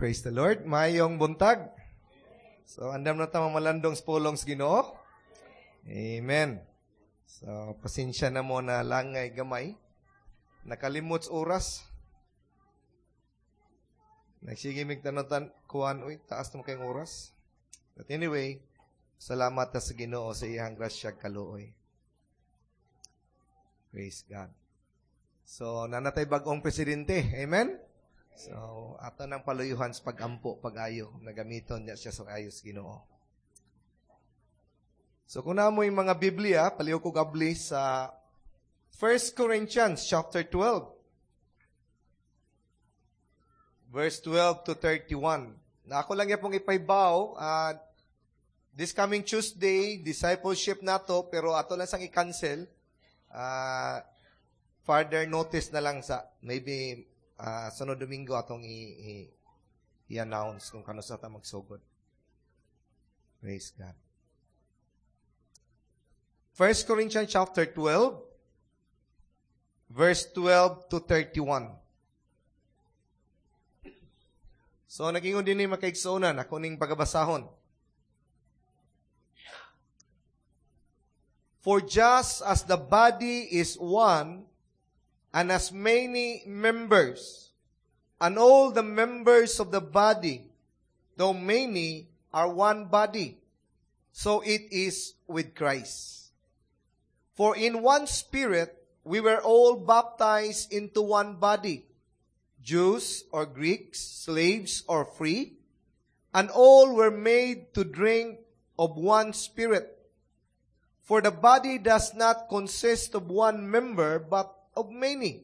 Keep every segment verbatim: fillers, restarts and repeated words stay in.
Praise the Lord. Maayong buntag. So, andam na ta mamalandong sa pulong sa Ginoo. Amen. So, pasensya na mo na langay gamay. Nakalimot sa oras. Nagsige mig tanutan kuan uy, taas na mo kayong oras. But anyway, salamat ta sa Ginoo sa iyang grasya kaluoy. Praise God. So, naa na tay bag-ong presidente. Amen? So, ato nang paluyuhan sa pagampo, pag-ayo, na gamiton niya siya sa ayos Ginoo. So, kung naa moy mga Biblia, palihog ko abli sa First Corinthians chapter twelve. Verse twelve to thirty-one. Na ako lang yapong ipahibaw, uh, this coming Tuesday, discipleship nato, pero ato lang sang i-cancel. Uh, further notice na lang sa, maybe, uh, sunod Domingo atong i- i- i-announce kung kano sa ta magsugod. Praise God. First Corinthians chapter twelve, verse twelve to thirty-one. So, nag-ingon din ni makaigsuonan, ako ning pagabasahon. "For just as the body is one, and has many members, and all the members of the body, though many, are one body, so it is with Christ. For in one Spirit we were all baptized into one body, Jews or Greeks, slaves or free, and all were made to drink of one Spirit. For the body does not consist of one member, but of many.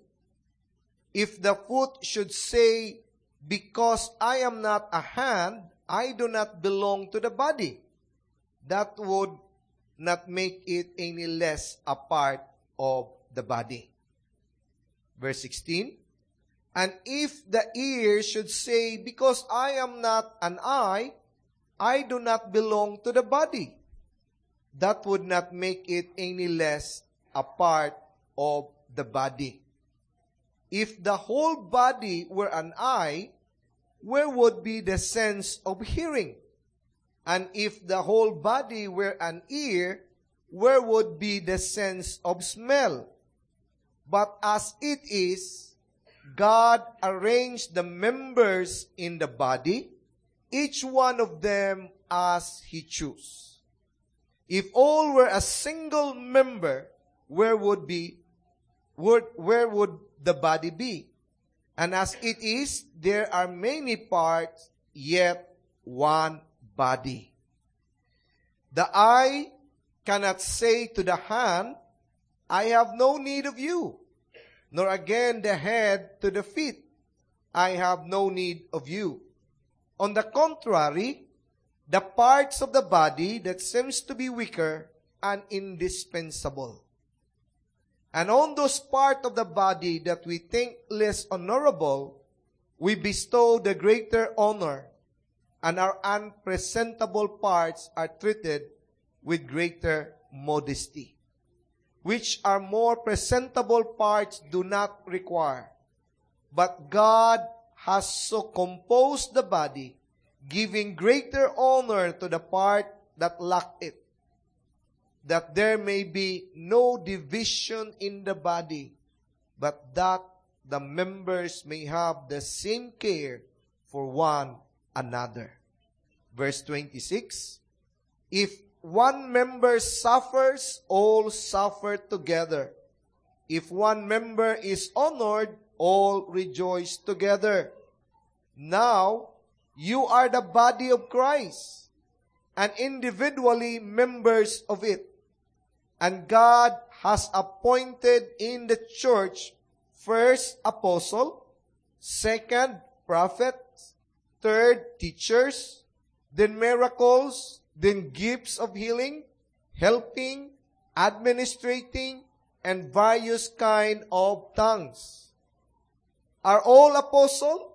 If the foot should say, 'Because I am not a hand, I do not belong to the body,' that would not make it any less a part of the body." Verse sixteen, "And if the ear should say, 'Because I am not an eye, I do not belong to the body,' that would not make it any less a part of the body. If the whole body were an eye, where would be the sense of hearing? And if the whole body were an ear, where would be the sense of smell? But as it is, God arranged the members in the body, each one of them as He chose. If all were a single member, where would be, where, where would the body be? And as it is, there are many parts, yet one body. The eye cannot say to the hand, 'I have no need of you,' nor again the head to the feet, 'I have no need of you.' On the contrary, the parts of the body that seems to be weaker are indispensable. And on those parts of the body that we think less honorable, we bestow the greater honor, and our unpresentable parts are treated with greater modesty, which our more presentable parts do not require. But God has so composed the body, giving greater honor to the part that lacked it, that there may be no division in the body, but that the members may have the same care for one another." Verse twenty-six, "If one member suffers, all suffer together. If one member is honored, all rejoice together. Now, you are the body of Christ, and individually members of it. And God has appointed in the church first apostle, second prophets, third teachers, then miracles, then gifts of healing, helping, administrating, and various kind of tongues. Are all apostle?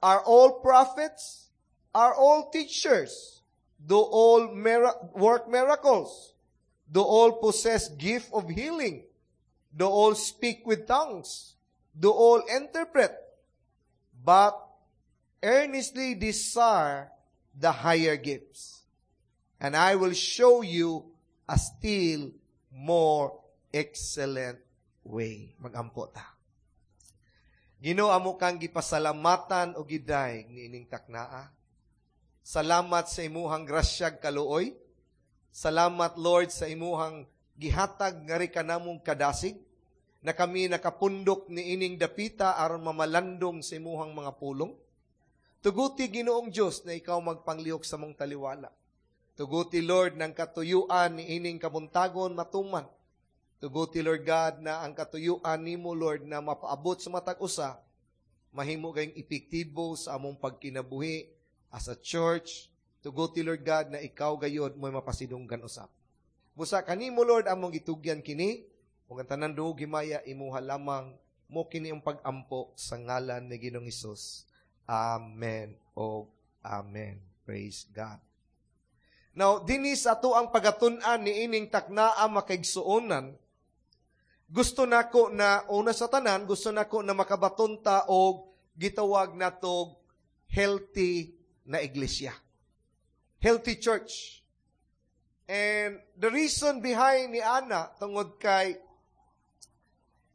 Are all prophets? Are all teachers? Do all mira- work miracles? Do all possess gift of healing? Do all speak with tongues? Do all interpret? But Earnestly desire the higher gifts, and I will show you a still more excellent way. Magampo ta. Ginoo amo kang gipasalamatan o gidayeg niining taknaa. Salamat sa imuhang grasyag kaluoy. Salamat Lord sa imuhang gihatag ngari kanamong kadasig na kami nakapundok niining dapita aron mamalandong sa imuhang mga pulong. Tuguti Ginoong Dios na ikaw magpanglihok sa mong taliwala. Tuguti Lord ng katuyuan niining kabuntagon matuman. Tuguti Lord God na ang katuyuan nimo Lord na mapaabot sa matag usa mahimo kayong epektibo sa among pagkinabuhi as a church. Tuguti Lord God na ikaw gayod mo'y mapasidunggan usab. Busa kanimo Lord among gitugyan kini ug ang tanan duog himaya imuha lamang mo kini ang pag-ampo sa ngalan ni Ginoong Hesus. Amen o Amen. Praise God. Now, dinhi sa ato ang pagatun-an ni ining taknaa makaigsuonan, gusto nako na una sa tanan, gusto nako na makabaton ta og gitawag natog healthy na iglesia. Healthy church. And the reason behind ni ana tungod kay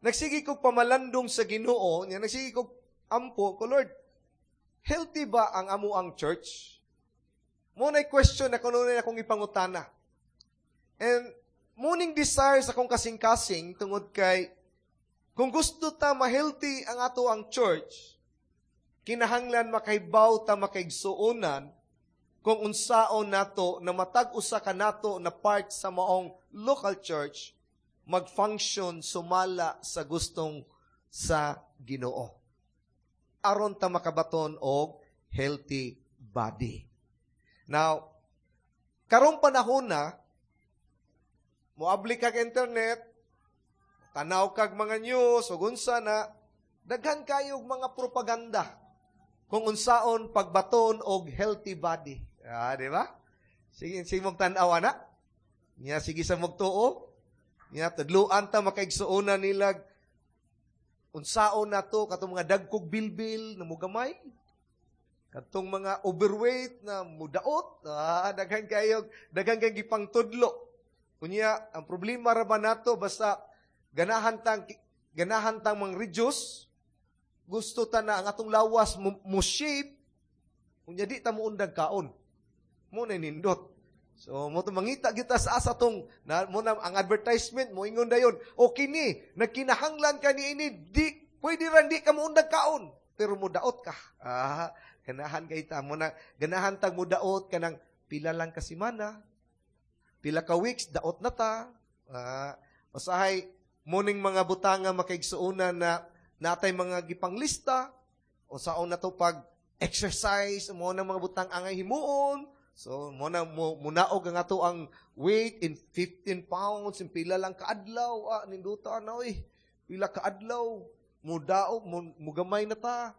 nagsige kog pamalandong sa Ginoo, niya nagsige kog ampo ko Lord, healthy ba ang amo ang church? Mo na question na kuno na akong ipangutana. And muning desire sa akong kasing-kasing tungod kay kung gusto ta ma-healthy ang ato ang church, kinahanglan makahibaw ta makaigsuonan kung unsaon nato na matag usa ka nato na part sa maong local church mag-function sumala sa gustong sa Ginoo. Aron ta makabaton og healthy body. Now, karong panahon na, moabli kag internet, tanaw kag mga news, ug unsa na, daghan kayog mga propaganda kung unsaon pagbaton og healthy body. Ah, di ba? Sige, sige mong tan-aw na. Nya sige sa mugtuo. Nya tudluan ta makaigsuonan nila unsaon nato katong mga dagkog bilbil na mugamay. Katong mga overweight na mudaot, ah, daghan kayo, daghan kay gipangtudlo. Kunya, ang problema ra ba nato basta ganahan tang ganahan tang mang reduce, gusto ta na ang atong lawas mo, mo shape, kunya di ta moundag kaon. Mo na nindot. So mo to mangita kita sa asa tong na mo na ang advertisement mo ingon dayon. O kini nagkinahanglan ka niini di pwede ra di ka moundag kaon pero mo daot ka. Ah, ganahan kay ta mo na ganahan tag mo daot kanang pila lang ka semana. Pila ka weeks daot na ta. Ah, usahay muning mga butanga makaigsuonan na natay mga gipanglista o saon na to pag exercise mo na mga butang angay himuon. So mo na mo munaog ang ato ang weight in fifteen pounds in pila lang kaadlaw ah, ninduta na oy. Pila kaadlaw mudaog mo mugamay na ta.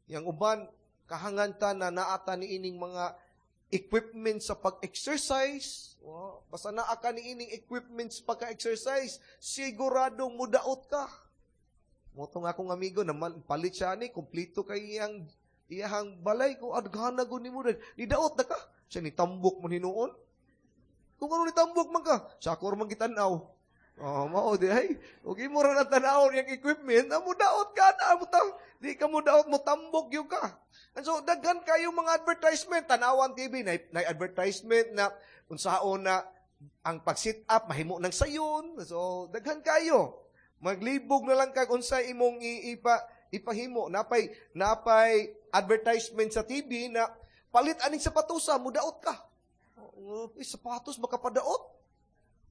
Yang uban kahangan ta na naata ni ining mga equipment sa pag-exercise. Wow. Basta naa ka ni ining equipment sa pag-exercise, siguradong mudaot ka. Mo tong akong amigo na palit siya ni kompleto kay iyang iyang balay ko adghana gud nimo ni daot na ka. Siya ni tambok man hinuon. Kung ano ni tambok man ka, sa ako man gitan-aw. Oh, mao di ay. Ug imo ra na tan-awon yang equipment, amo daot ka na amo ta. Di ka mo daot mo tambok gyud ka. And so daghan kayo mga advertisement, tanawan T V na, na advertisement na unsaon na ang pag-sit up mahimo ng sayon. So daghan kayo. Maglibog na lang kag unsay imong ipa, ipahimo. Napay napay advertisement sa T V na palit aning sapatusa, mudaot ka. Oh, eh, sapatos makapadaot.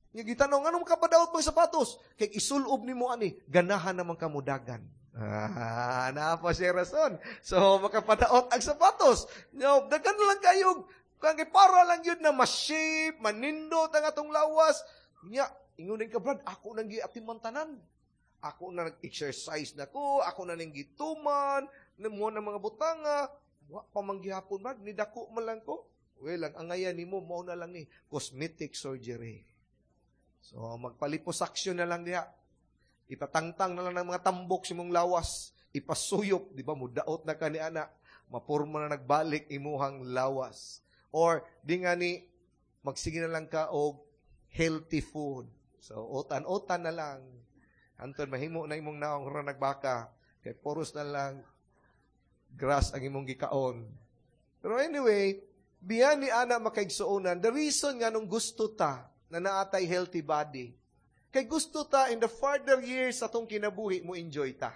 Nga gitanong, anong makapadaot mo sapatos? Kay isulob nimo ani, ganahan naman ka mudagan. Ah, naa pa siya rason. So, makapadaot ang sapatos. No, daghan lang kayo. Kaya para lang yun na ma-shape, manindot ang atong lawas. Nya, ingon ka, Brad, ako nang giatiman tanan. Ako na nag-exercise na ko, ako na nang gituman, mo na mga butanga. Wa pa man gihapon, Brad, nidako man lang ko. Well, ang angayan nimo mao na lang ni cosmetic surgery. So, magpaliposuction na lang diha. Ipatangtang na lang ng mga tambok sa imong lawas. Ipasuyop, di ba? Mudaot na ka ni ana. Mapurma na nagbalik imuhang lawas. Or di nga ni magsige na lang ka og healthy food. So utan-utan na lang. Anton mahimo na imong naong ra nagbaka kay puros na lang grass ang imong gikaon. Pero anyway, biyan ni ana makaigsuonan, the reason nga nung gusto ta na naatay healthy body, kay gusto ta in the further years atong kinabuhi mo enjoy ta.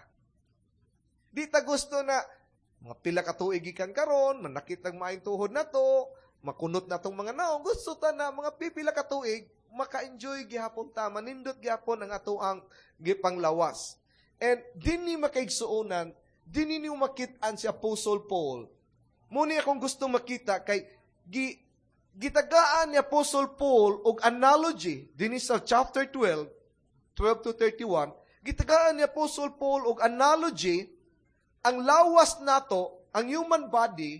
Di ta gusto na mga pila ka tuig gikan karon, manakit ang maayong tuhod na to, makunot na tong mga naong, gusto ta na mga pipila ka tuig maka-enjoy gihapon ta, manindot gihapon ang atoang gipanglawas. And dinhi makaigsuonan, dinhi niyo makit-an si Apostle Paul. Muni akong gusto makita kay gi, gitagaan ni Apostle Paul og analogy dinhi sa chapter twelve, twelve to thirty-one, gitagaan ni Apostle Paul og analogy ang lawas nato, ang human body,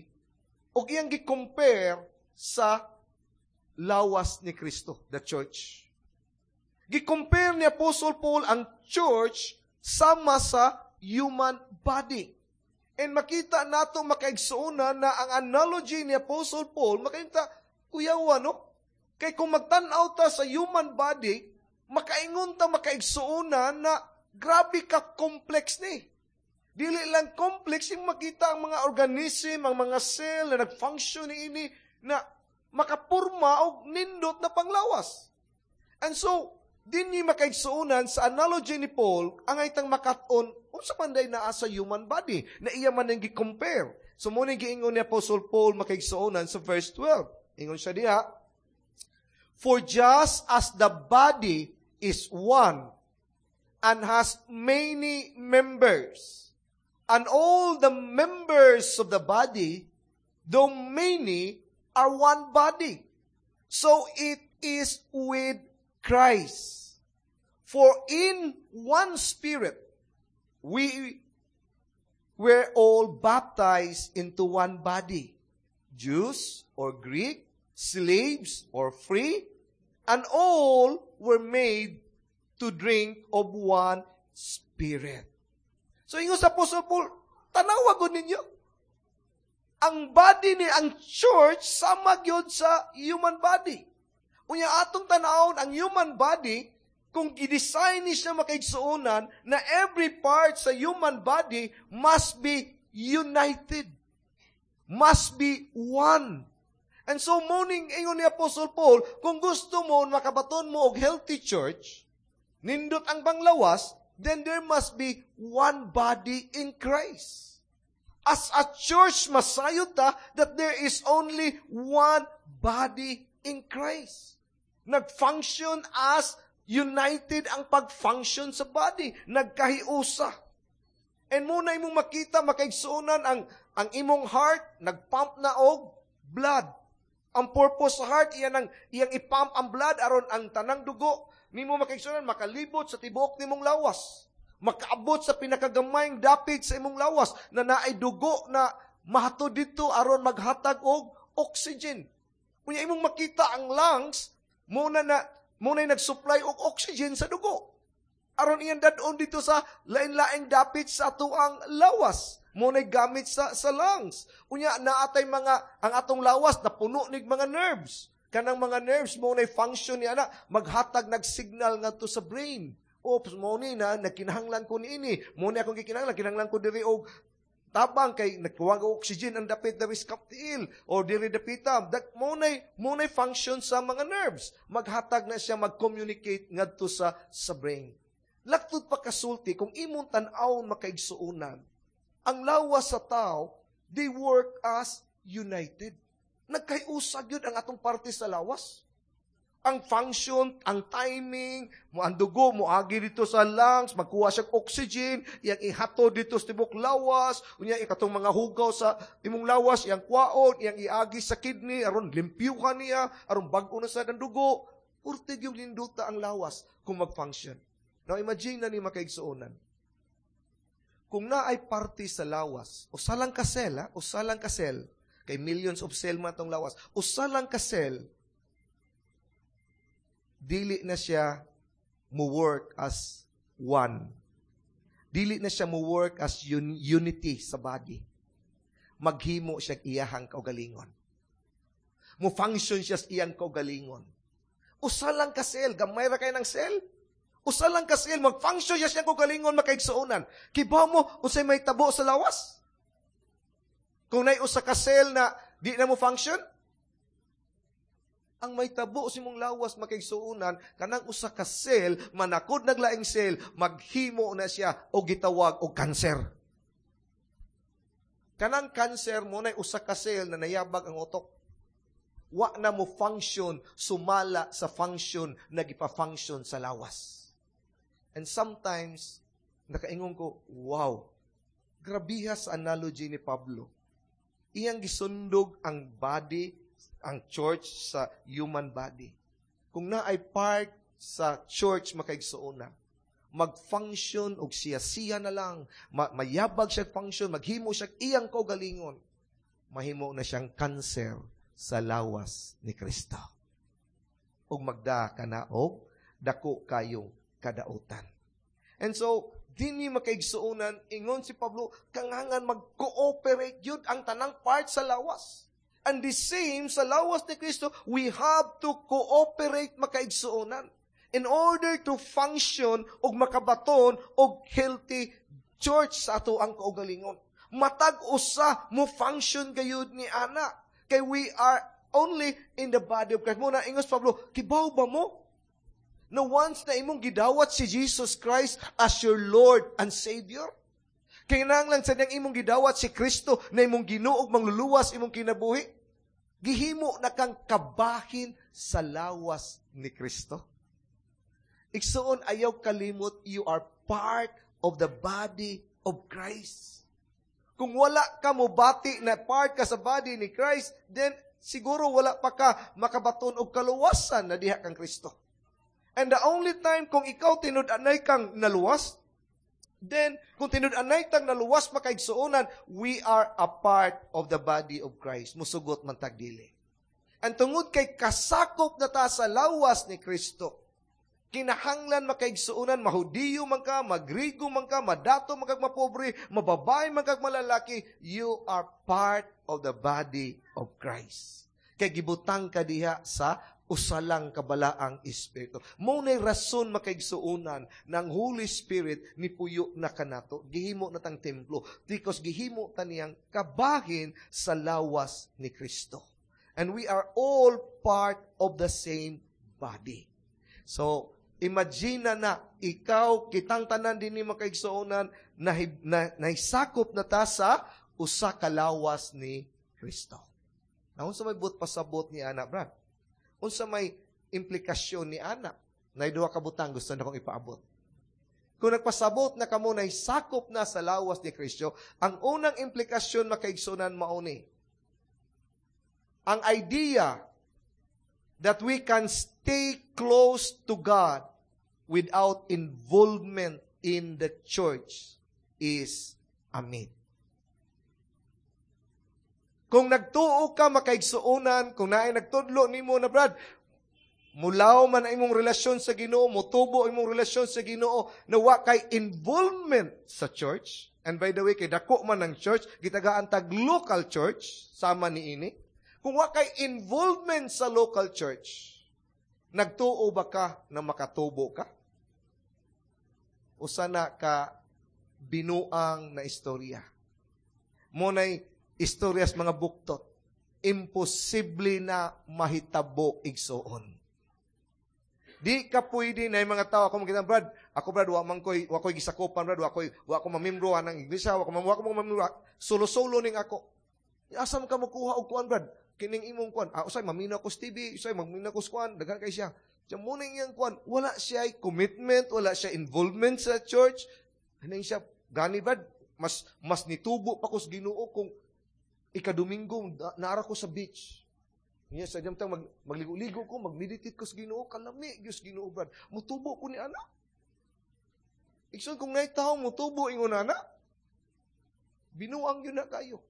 og iyang gi-compare sa lawas ni Kristo, the church. Gi-compare ni Apostle Paul ang church sama sa human body. And makita nato makaigsuonan na ang analogy ni Apostle Paul, makita, kuyawa, no? Kay kung magtan-aw ta sa human body, makaingon ta makaigsuonan na grabe ka complex ni. Dili lang complex yung makita ang mga organism, ang mga cell na nag-function ni ini na makapurma og nindot na panglawas. And so, dinhi makaigsuonan sa analogy ni Paul, ang itang makat-on, unsa man day naa sa human body, na iya man ang gi-compare. So, muna giingon ni Apostle Paul makaigsuonan sa verse twelve. Ingon siya diha, "For just as the body is one and has many members, and all the members of the body, though many, are one body. So it is with Christ. For in one Spirit, we were all baptized into one body, Jews or Greek, slaves or free, and all were made to drink of one Spirit." So, ingon sa Apostle Paul, tanawa gud ninyo. Ang body ni ang church sama gyud sa human body. Unya atong tanawon ang human body kung gi-design ni siya makaigsuonan na every part sa human body must be united. Must be one. And so, morning, ingon ni Apostle Paul, kung gusto mo, makabaton mo og healthy church, nindot ang panglawas, then there must be one body in Christ. As a church, masayod ta that there is only one body in Christ. Nag-function as united ang pag-function sa body. Nagkahiusa. And muna imong makita, makaigsuonan ang, ang imong heart, nag-pump na og blood. Ang purpose sa heart, iyan ang, iyang i-pump ang blood aron ang tanang dugo nimo makaigsuonan makalibot sa tibuok nimong lawas. Makaabot sa pinakagamayng dapit sa imong lawas na naay dugo na mahatod dito aron maghatag og oxygen. Unya imong makita ang lungs muna na muna nag-supply og oxygen sa dugo. Aron iyang dadon dito sa lain-laing dapit sa atoang lawas. Mo gamit sa sa lungs. Unya naatay mga ang atong lawas na puno nig mga nerves. Kanang mga nerves mo na function niya na maghatag nag-signal ngadto sa brain. Oops, mo ni na nagkinahanglan ko niini. Mo ni akong gikinahanglan, kinahanglan ko diri og tabang kay nagkuwang og oxygen ang dapit diri sa tiil o diri dapita. Dak mo na mo na function sa mga nerves. Maghatag na siya mag-communicate ngadto sa sa brain. Laktod pa kasulti kung imong tan-awon makaigsuonan, ang lawas sa tao, they work as united. Nagkahiusa gyud ang atong parte sa lawas. Ang function, ang timing, mo ang dugo moagi dito sa lungs, magkuha siya oxygen, iyang ihato dito sa tibok lawas, unya ikatong mga hugaw sa imong lawas, iyang kwaon, iyang iagi sa kidney aron limpyuhan niya, aron bag-o na sa dugo. Purtig yung linduta ang lawas kung mag-function. Now imagine na ni makaigsuonan. Kung naay parte sa lawas, usa lang ka cell, ha? Usa lang ka cell, kay millions of cell man atong lawas, usa lang ka cell, dili na siya mo work as one. Dili na siya mo work as un- unity sa body. Maghimo siya iyahang kaugalingon. Mo function siya sa iyang kaugalingon. Usa lang ka cell, gamay ra kay ng cell. Usa lang ka cell, mag-function siya siyang kaugalingon makaigsuonan. Kibaw mo unsay mahitabo sa lawas? Kung nay usa ka cell na di na mo function, ang mahitabo sa imong lawas makaigsuonan, kanang usa ka cell, manakod nag laing cell, maghimo na siya og gitawag og cancer. Kanang cancer mo nay usa ka cell na nayabag ang utok. Wa na mo function sumala sa function na gipa-function sa lawas. And sometimes, nakaingon ko, wow, grabiha sa analogy ni Pablo. Iyang gisundog ang body, ang church sa human body. Kung naay part sa church makaigsuonan, mag-function og siya-siya na lang, ma- mayabag siya function, maghimo siya iyang kaugalingon, mahimo na siyang cancer sa lawas ni Kristo. Ug magda ka na og dako kayong kadautan. And so, dinhi makaigsuonan, ingon si Pablo, kangangan mag-cooperate yun ang tanang part sa lawas. And the same sa lawas ni Kristo, we have to cooperate makaigsuonan in order to function og makabaton og healthy church sa ato ang kaugalingon. Matag usa mo function gayud ni ana. Kay we are only in the body of Christ. Mao na ingos Pablo, kibaw ba mo? Na once na imong gidawat si Jesus Christ as your Lord and Savior, kinahanglan sa niyang imong gidawat si Kristo na imong Ginoo ug mangluluwas imong kinabuhi, gihimo na kang kabahin sa lawas ni Kristo. Igsuon ayaw kalimot, you are part of the body of Christ. Kung wala ka mobati na part ka sa body ni Christ, then siguro wala pa ka makabaton og kaluwasan na diha kang Kristo. And the only time kung ikaw tinud-anay kang naluwas, then kung tinud-anay kang naluwas makaigsuonan, we are a part of the body of Christ. Musugot man tag dili. Ang tungod kay kasakop na ta sa lawas ni Kristo, kinahanglan makaigsuonan, mahudiyo man ka, magrigo man ka, madato man kag mapobre, mababae man kag malalaki, you are part of the body of Christ. Kay gibutang ka diha sa usalang kabalaang espiritu. Mao nay rason makaigsuonan ng Holy Spirit ni puyo na kanato. Gihimo na tang templo. Because gihimo ta niyang kabahin sa lawas ni Kristo. And we are all part of the same body. So, imagine na ikaw, kitang tanan din ni makaigsuonan, na, na, nahisakop na ta sa usa ka lawas ni Kristo. Na unsa may buot pasabot ni ana, Brad? Unsa may implikasyon ni ana? Nay duha ka butang gusto na kong ipaabot. Kung nagpasabot na kamo na sakop na sa lawas ni Kristo, ang unang implikasyon makaigsunan mao ni. Ang idea that we can stay close to God without involvement in the church is a myth. Kung nagtuo ka makaigsuonan, kung naay nagtudlo nimo na Brad, mulaw man ang imong relasyon sa Ginoo, motubo imong relasyon sa Ginoo, na wa kay involvement sa church. And by the way, kay dako man ang church, gitagaan tag local church, sama ni ini. Kung wa kay involvement sa local church, nagtuo ba ka na makatubo ka? Usa na ka binuang na istorya. Mao nay istoryas mga buktot. Imposible na mahitabo igsuon. Di ka pwede na yung mga tao, ako makita, Brad, ako Brad, wa man ko'y, wa ko'y gisakopan, Brad, wa ko'y, wa ko mamembro ng iglesia, wa ko, wa ko mamembro, solo-solo ning ako. Asa man ka makuha og kuan, Brad? Kining imong kuan. Ah, usay mamina ko sa T V, usay mamina ko sa kuan, daghan kay siya. Siya mao iyang kuan, wala siya commitment, wala siya involvement sa church. Ano siya, gani Brad, mas mas nitubo pa ko sa Ginoo kung ikadomingo naara ko sa beach. Niya sa tang mag, magligo-ligo ko, mag-meditate ko sa Ginoo, kalami gyud Ginoo Brad. Mutubo ko ni ana. Igsoon kung naay tawo mutubo ingon ana, binuang yun na kayo.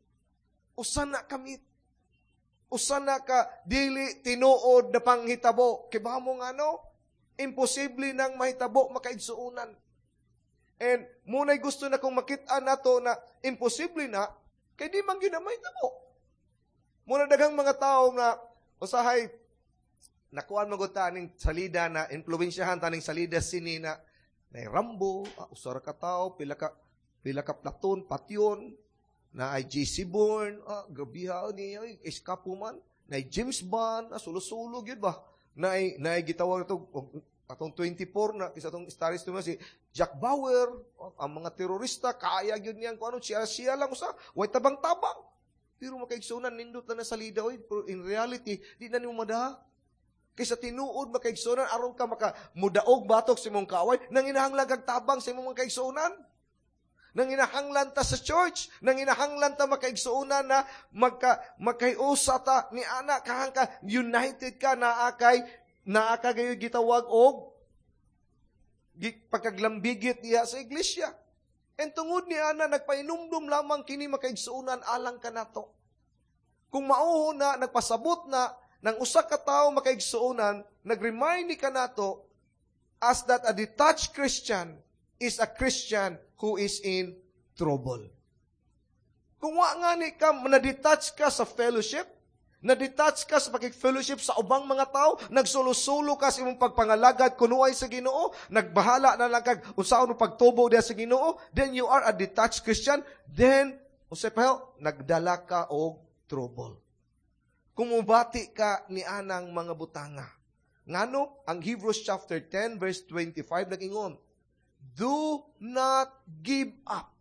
Usa na ka myth. Usa na ka dili tinuod na panghitabo. Kay ba mo nga no? Imposible nang mahitabo makaigsuonan. And muna'y gusto na kong makita nato na imposible na Kay di man gyud na mahitabo. Muna daghang mga tao nga usahay nakuan man gud ta ning salida na influensyahan ta ning salida sini na na Rambo, ah, usa ra ka tawo, pila ka pila ka platoon, patyon, na ay J C Bourne, ah, grabiha ni ay eskapo man, na ay James Bond, ah, sulo-sulo gyud ba? Na ay na ay gitawag ito atong twenty-four na kisa atong stories to si Jack Bauer, oh, ang mga terorista kaya gyud niyang kuno siya siya lang usa, way tabang-tabang. Pero makaigsunan, nindot na na salida oy, pero in reality di na nimo madaha. Kaysa tinuod, makaigsunan, aron ka maka mudaog batok sa imong kaaway, nanginahanglan kag tabang sa imong mga kaigsuonan. Nanginahanglan ta sa church, nanginahanglan ta, makaigsuonan, na magka magkaiusa ta ni ana kahang ka united ka, naa kay naa ka gayoy gitawag og pagkaglambigit diha sa iglesia. And tungod ni ana, nagpainumdum lamang kini, makaigsuonan, alang kanato. Kung mao na nagpasabot na ng usa ka tawo, makaigsuonan, nag-remind ni kanato as that a detached Christian is a Christian who is in trouble. Kung wa nga ni ka, na-detach ka sa fellowship, na-detach ka sa pakig-fellowship sa ubang mga tao, nagsulo-sulo ka sa imong pagpangalagad kunuay sa Ginoo, nagbahala na lang kag unsaon mo pagtubo diha sa Ginoo, then you are a detached Christian, then unsay pa, nagdala ka og trouble. Kung mubati ka ni anang mga butanga. Ngano, ang Hebrews chapter ten verse twenty-five nagingon, "Do not give up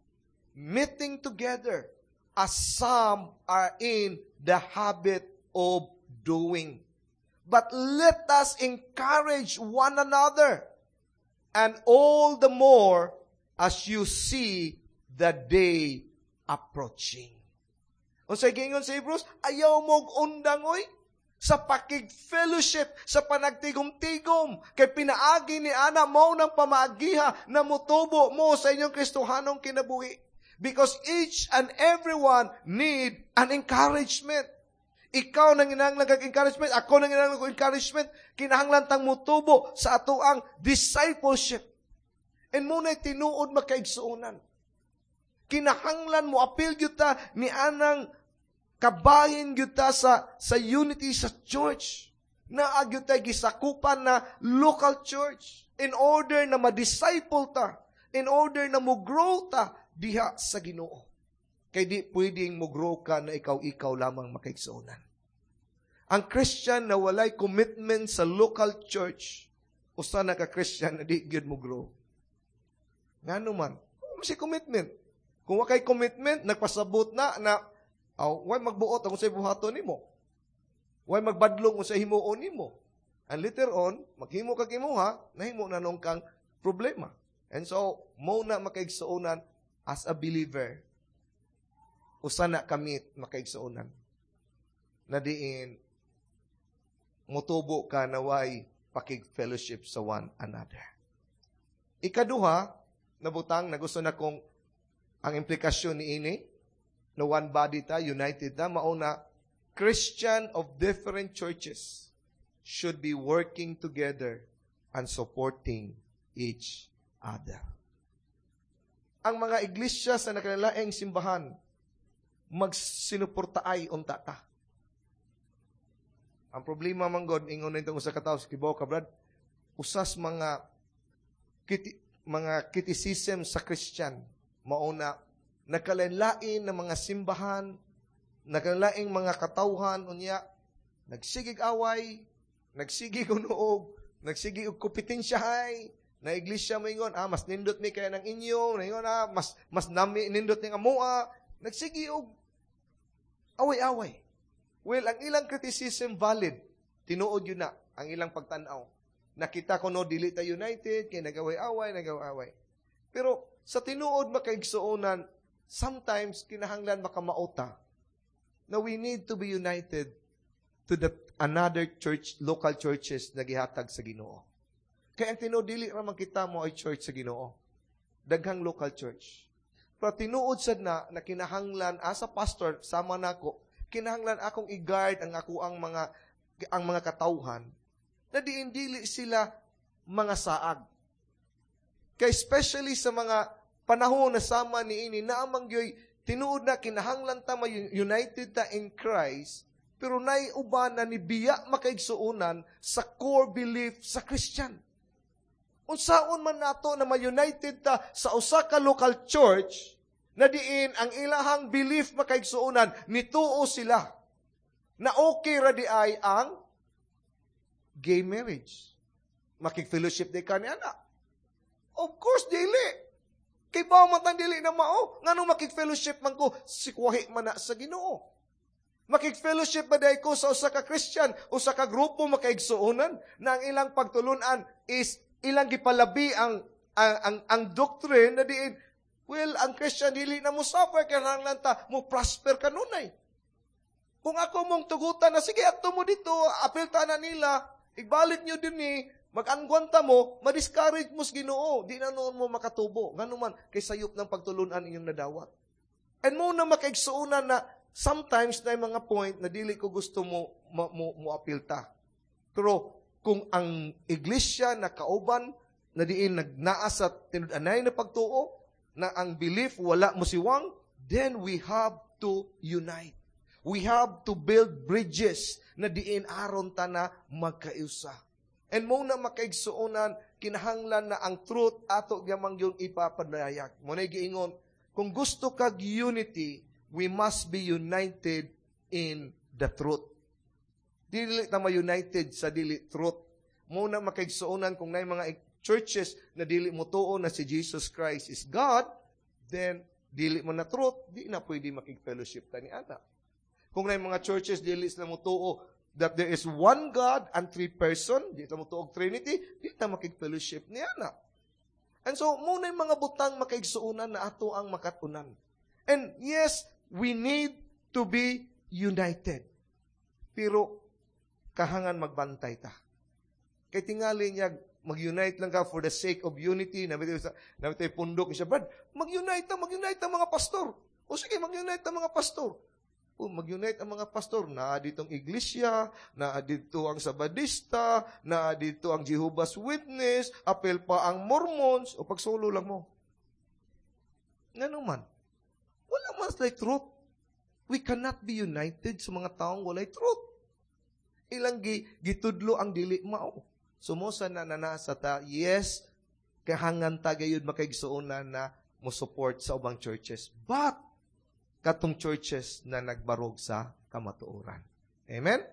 meeting together as some are in the habit of doing. But let us encourage one another, and all the more as you see the day approaching." Unsay giingon sa Hebrews, ayaw mo undang oy sa pakig-fellowship, sa panagtigom-tigom, kay pinaagi ni ana mo ng pamaagiha na mutubo mo sa inyong Kristohanong kinabuhi. Because each and everyone need an encouragement. Ikaw nang inahanglan kag encouragement, ako nang inahanglan kag encouragement, kinahanglan tang mutubo sa atoang discipleship. And mao na'y tinuod, makaigsuonan. Kinahanglan mo apil gyud ta ni anang kabahin gyud ta sa sa unity sa church. Naa gyud tay gisakupan na local church in order na ma-disciple ta, in order na mo grow ta diha sa Ginoo. Kay di pwedeng mo grow ka na ikaw-ikaw lamang, makaigsuonan. Ang Christian na walay commitment sa local church, usa na ka Christian na di gyud mo grow. Ngano man? Si commitment. Kung wa kay commitment, nagpasabot na na aw, way magbuot ang unsay buhaton nimo. Way magbadlong unsay himuon nimo. And later on, maghimo kag imuha, nahimo na nung kang problema. And so, mo na, makaigsuonan, as a believer, usa na kamit, makaigsuonan, na diin mutubo ka na way pakig-fellowship sa one another. Ikaduha, nabutang na gusto na kong ang implikasyon ni ini, na one body ta, united ta, mauna, Christian of different churches should be working together and supporting each other. Ang mga iglesia sa nakalaing simbahan, magsinuportaay unta ta. Ang problema man god, ingon nitong usa ka tawo sa kibaw ka, brad, usas mga kiti, mga criticism sa Christian, mauna nakalain ng mga simbahan, nakalaing mga katawhan unya nagsigig away, nagsigig unoog, nagsigig og kompetensyahay, na iglesia mo ingon, "Ah, mas nindot mi kaya ng inyo," ingon, "Ah, mas mas nami nindot ning amoa," nagsige og away-away. Well, ang ilang criticism valid. Tinuod yun na ang ilang pagtanaw. Nakita ko no dili ta united kay nagaway-away, nagaway-away. Pero sa tinuod, makaigsuonan, sometimes kinahanglan makamauta na we need to be united to the another church, local churches na gihatag sa Ginoo. Kaya ang tinuod, dili ra man kita mo ay church sa Ginoo. Daghang local church. Pero tinuod sad na na kinahanglan as a pastor sama nako, kinahanglan akong i-guard ang ako ang mga ang mga katawhan na diin dili sila mga saag. Kay especially sa mga panahon na sama ni ini na amang gyoy Tinuod na kinahanglan ta united ta in Christ, pero nay uban na nibiya makaigsuonan sa core belief sa Christian. Unsaon man nato na ma-united ta sa usa ka local church na diin ang ilahang belief, makaigsuonan, nituo sila na okay ra di ay ang gay marriage? Makig-fellowship di ka ni ana? Of course, dili. Kay ba man tang dili na mao? Ngano makig-fellowship man ko? Sikwahi man na sa Ginoo. Makig-fellowship ba diay ko sa usa ka Christian, usa ka grupo, makaigsuonan, na ang ilang pagtulunan is ilang gipalabi ang ang ang, ang doctrine na diin, well, ang Christian dili na mo suffer, kinahanglan ta mo prosper kanunay? Kung ako mong tugutan na sige, adto mo dito, apil ta na nila, ibalik nyo din ni, mag-angguan ta mo, ma-discourage mo sa Ginoo, di na noon mo makatubo. Ngano man, kay sayop ng pagtulunan inyong nadawat. And mo na makaigsuonan na sometimes na mga point na dili ko gusto mo mo, mo, mo apilta. Pero kung ang iglesia na kauban na diin nagnaa sa tinud-anay na pagtuo, na ang belief wala mo siwang, then we have to unite. We have to build bridges na diin aron ta na magkaiusa. And mo na makaigsuonan, kinahanglan na ang truth ato gyamang yung ipapadayag. Mo na giingon, kung gusto kag unity, we must be united in the truth. Dili ta ma-united sa dili truth. Mo na makaigsuonan, kung naay mga churches na dili mo tuo na si Jesus Christ is God, then dili mo na truth, di na pwede makig-fellowship ta ni ana. Kung naay mga churches dili sila mo tuo that there is one God and three person, di ta mo tuo Trinity, di ta makig-fellowship ni ana. And so, mo na yung mga butang, makaigsuonan, na ato ang makatunan. And yes, we need to be united. Pero, kahangan magbantay ta. Kay tingali niya, mag-unite lang ka for the sake of unity. Namit sa pundok siya, "Brad, mag-unite ta, mag-unite ang mga pastor." O sige, mag-unite ang mga pastor. O, mag-unite ang mga pastor. Naa ditong iglesia, naa dito ang Sabadista, naa dito ang Jehovah's Witness, apil pa ang Mormons, o pagsulo lang mo. Ngano man? Wala man sila truth. We cannot be united sa mga taong walay truth. Ilang gi, gitudlo ang dili mao. Sumusa na nanasa ta, yes, kahangan ta gayud makaigsuonan na mo support sa ubang churches. But, katong churches na nagbarog sa kamatuoran. Amen?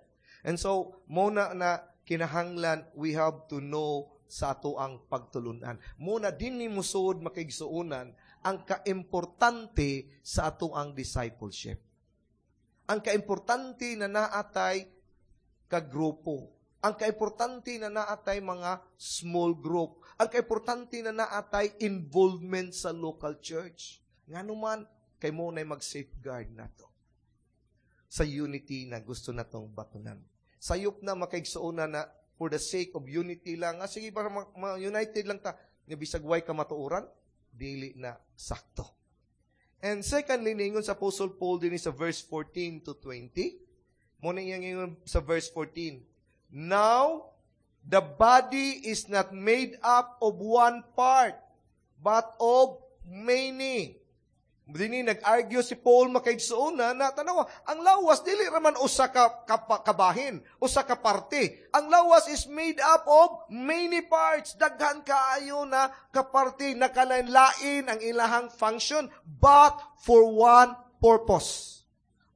And so, muna na kinahanglan we have to know sa ato ang pagtulunan. Muna din ni musuod, makaigsuonan, ang kaimportante sa ato ang discipleship. Ang kaimportante na naatay kagrupo. Ang kaimportante na naatay mga small group. Ang kaimportante na naatay involvement sa local church. Ngano man, kay mo na mag-safeguard nato sa unity na gusto natong batunan. Sayop na, makaigsuonan, na for the sake of unity lang. Ah, sige, para ma-united lang ta. Nga bisag way kamatuoran, dili na sakto. And secondly, ningon sa Apostle Paul din sa verse fourteen to twenty. Mo na iyang ingon sa verse fourteen. "Now, the body is not made up of one part, but of many." Dini nag-argue si Paul, makaigsuonan, na tanawa, ang lawas dili raman usa ka, ka kabahin, usa ka parte. Ang lawas is made up of many parts. Daghan kaayo na kaparte, nakalain-lain ang ilahang function, but for one purpose.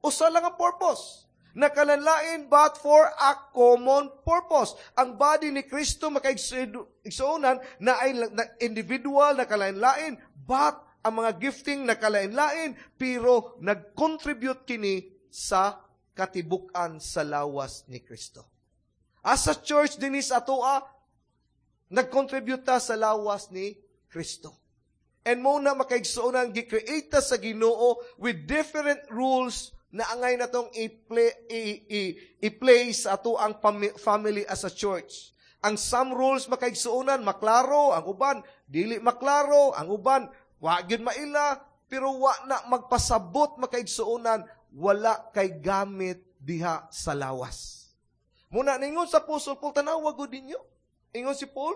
Usa lang ang purpose. Nakalanlain but for a common purpose. Ang body ni Kristo, makaigsuonan, na ay na individual, nakalain-lain, but ang mga gifting nakalain-lain, pero nag-contribute kini sa katibukan sa lawas ni Kristo. As a church dinhi sa atoa, nag-contribute ta sa lawas ni Kristo. And mo na, makaigsuonan, gi-create ta sa Ginoo with different rules na angay natong i-play, i, i, i-play sa ato ang family as a church. Ang some rules, makaigsuonan, maklaro, ang uban dili maklaro, ang uban wa gyud maila, pero wa na magpasabot, makaigsuonan, wala kay gamit diha sa lawas. Muna ningon sa Apostol Paul, tanawa gud ninyo. Ingon si Paul,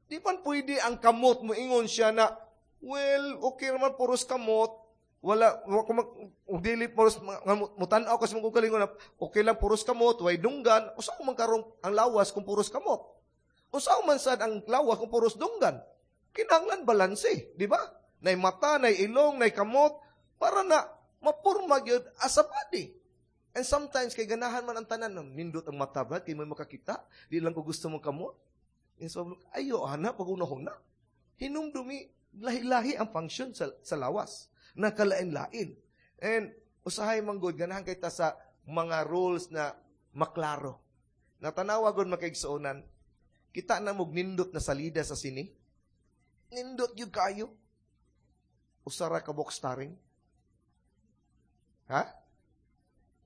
di man pwede ang kamot mo ingon siya na, "Well, okay naman puros kamot, Wala wa kung mag, kung dili puros nga mutan-aw kasi mong kaugalingon na okay lang puros kamot, way dunggan, usa man karong ang lawas kung puros kamot. Usa man sad ang lawas kung puros dunggan. Kinahanglan balanse, di ba? Nay mata, nay ilong, nay kamot para na mapurma gyud as a body. And sometimes kay ganahan man ang tanan, nindot ang mata ba kay may makakita, di lang ko gusto mo kamot. And so, ayo ana pag una Hinumdumi lahi-lahi ang function sa, sa lawas. Nakalain-lain. And usahay man gud ganahan kay ta sa mga rules na maklaro. Natanawa gud makaigsuonan, kita na mog nindot na salida sa sini. Nindot gyud kayo. Usara ka box starring. Ha?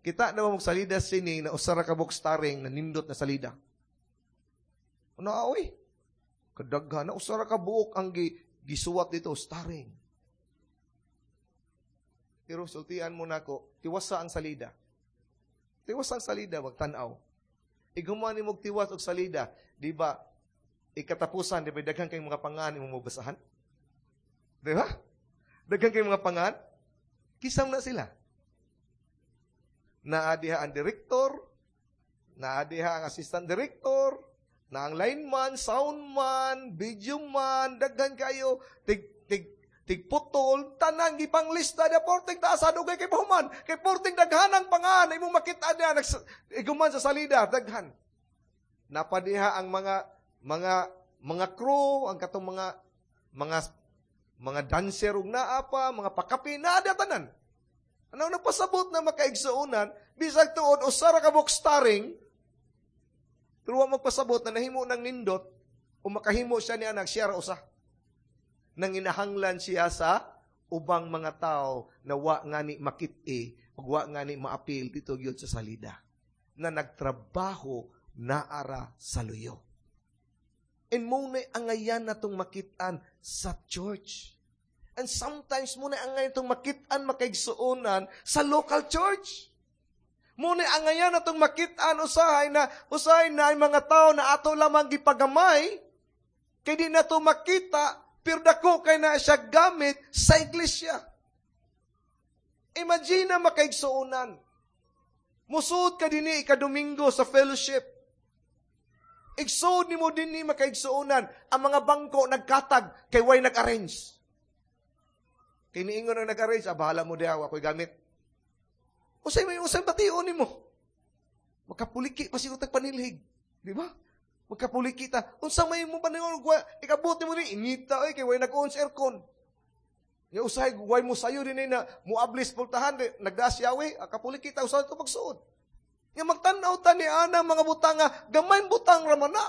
Kita na mo salida sa sini na usara ka box starring na nindot na salida. Ano oy? Kadaghan na usara ka buok ang gi, gisuwat dito starring. Pero sultian mo nako, tiwasa ang salida. Tiwasa ang salida, magtan-aw. Iguman ni mog tiwas og salida, di ba? Ikatapusan, di ba daghan kay mga pangan imong mabasahan? Di ba? Daghan kay mga pangan, kisam na sila. Naa diha ang director, naa diha ang assistant director, na ang lineman, soundman, video man, daghan kayo, tig tig tigputol, tanan gipang lista dia porting taas dugay kay pahuman, kay porting daghanang pangan imong makita diha iguman sa salida daghan. Napadiha ang mga mga mga crew, ang katong mga mga mga dancer ug naa pa, mga pakapi naa diha tanan. Ano napasabot na makaigsuonan, bisag tuod usa ra ka box starring, pero wa magpasabot na nahimo ng nindot o makahimo siya ni anak siya ra usa. Nang inahanglan siya sa ubang mga tao na wa ngani makit-i ug wa ngani maapil dito gyud sa salida na nagtrabaho naara sa luyo. And mo na angayan natong makit-an sa church. And sometimes mo na angayan natong makit-an makaigsuonan sa local church. Mo na angayan natong makit-an usahay na usahay na ay mga tao na ato lamang gipagamay kay di nato makita pero dako kay na siya gamit sa iglesia. Imagine na makaigsuonan. Musud ka dinhi ika-Domingo sa fellowship. Igsuod nimo dinhi makaigsuonan. Ang mga bangko nagkatag kay way nag-arrange. Kay niingon ang nag-arrange, ah, bahala mo diha, ako'y gamit. Usay may usay bation nimo. Makapuliki pa siguro tag panilhig. Di ba? Magkapuliki ta. Unsa may mo paningon, ikabot nimo ni inita oy kay way nag-on sa aircon. Ya usahay way mo sayo din na muablis pultahan nagdaas yawi, kapuliki ta usahay to pagsuod. Nga magtan-aw ta ni ana mga butang nga gamay butang ra man na.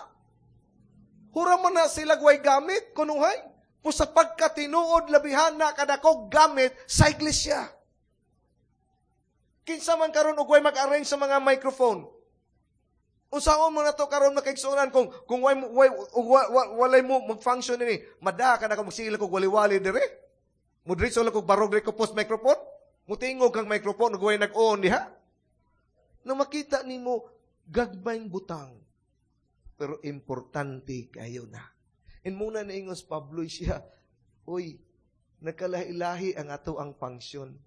Hura man na sila way gamit kunuhay. Pu sa pagkatinuod labihan na kadako gamit sa iglesia. Kinsa man karon og way mag-arrange sa mga microphone. Unsaon mo na to karon makaigsuonan kung kung way, way, way, walay mo mag-function ini, mada ka na ka magsigil kog wali-wali dire. Mudritso lang kog barog dire ko post microphone. Mutingog kang microphone ug way nag-on diha. Na makita nimo gagmayng butang. Pero importante kayo na. And muna na ingos Pablo siya, uy, nakalahi-lahi ang ato ang function,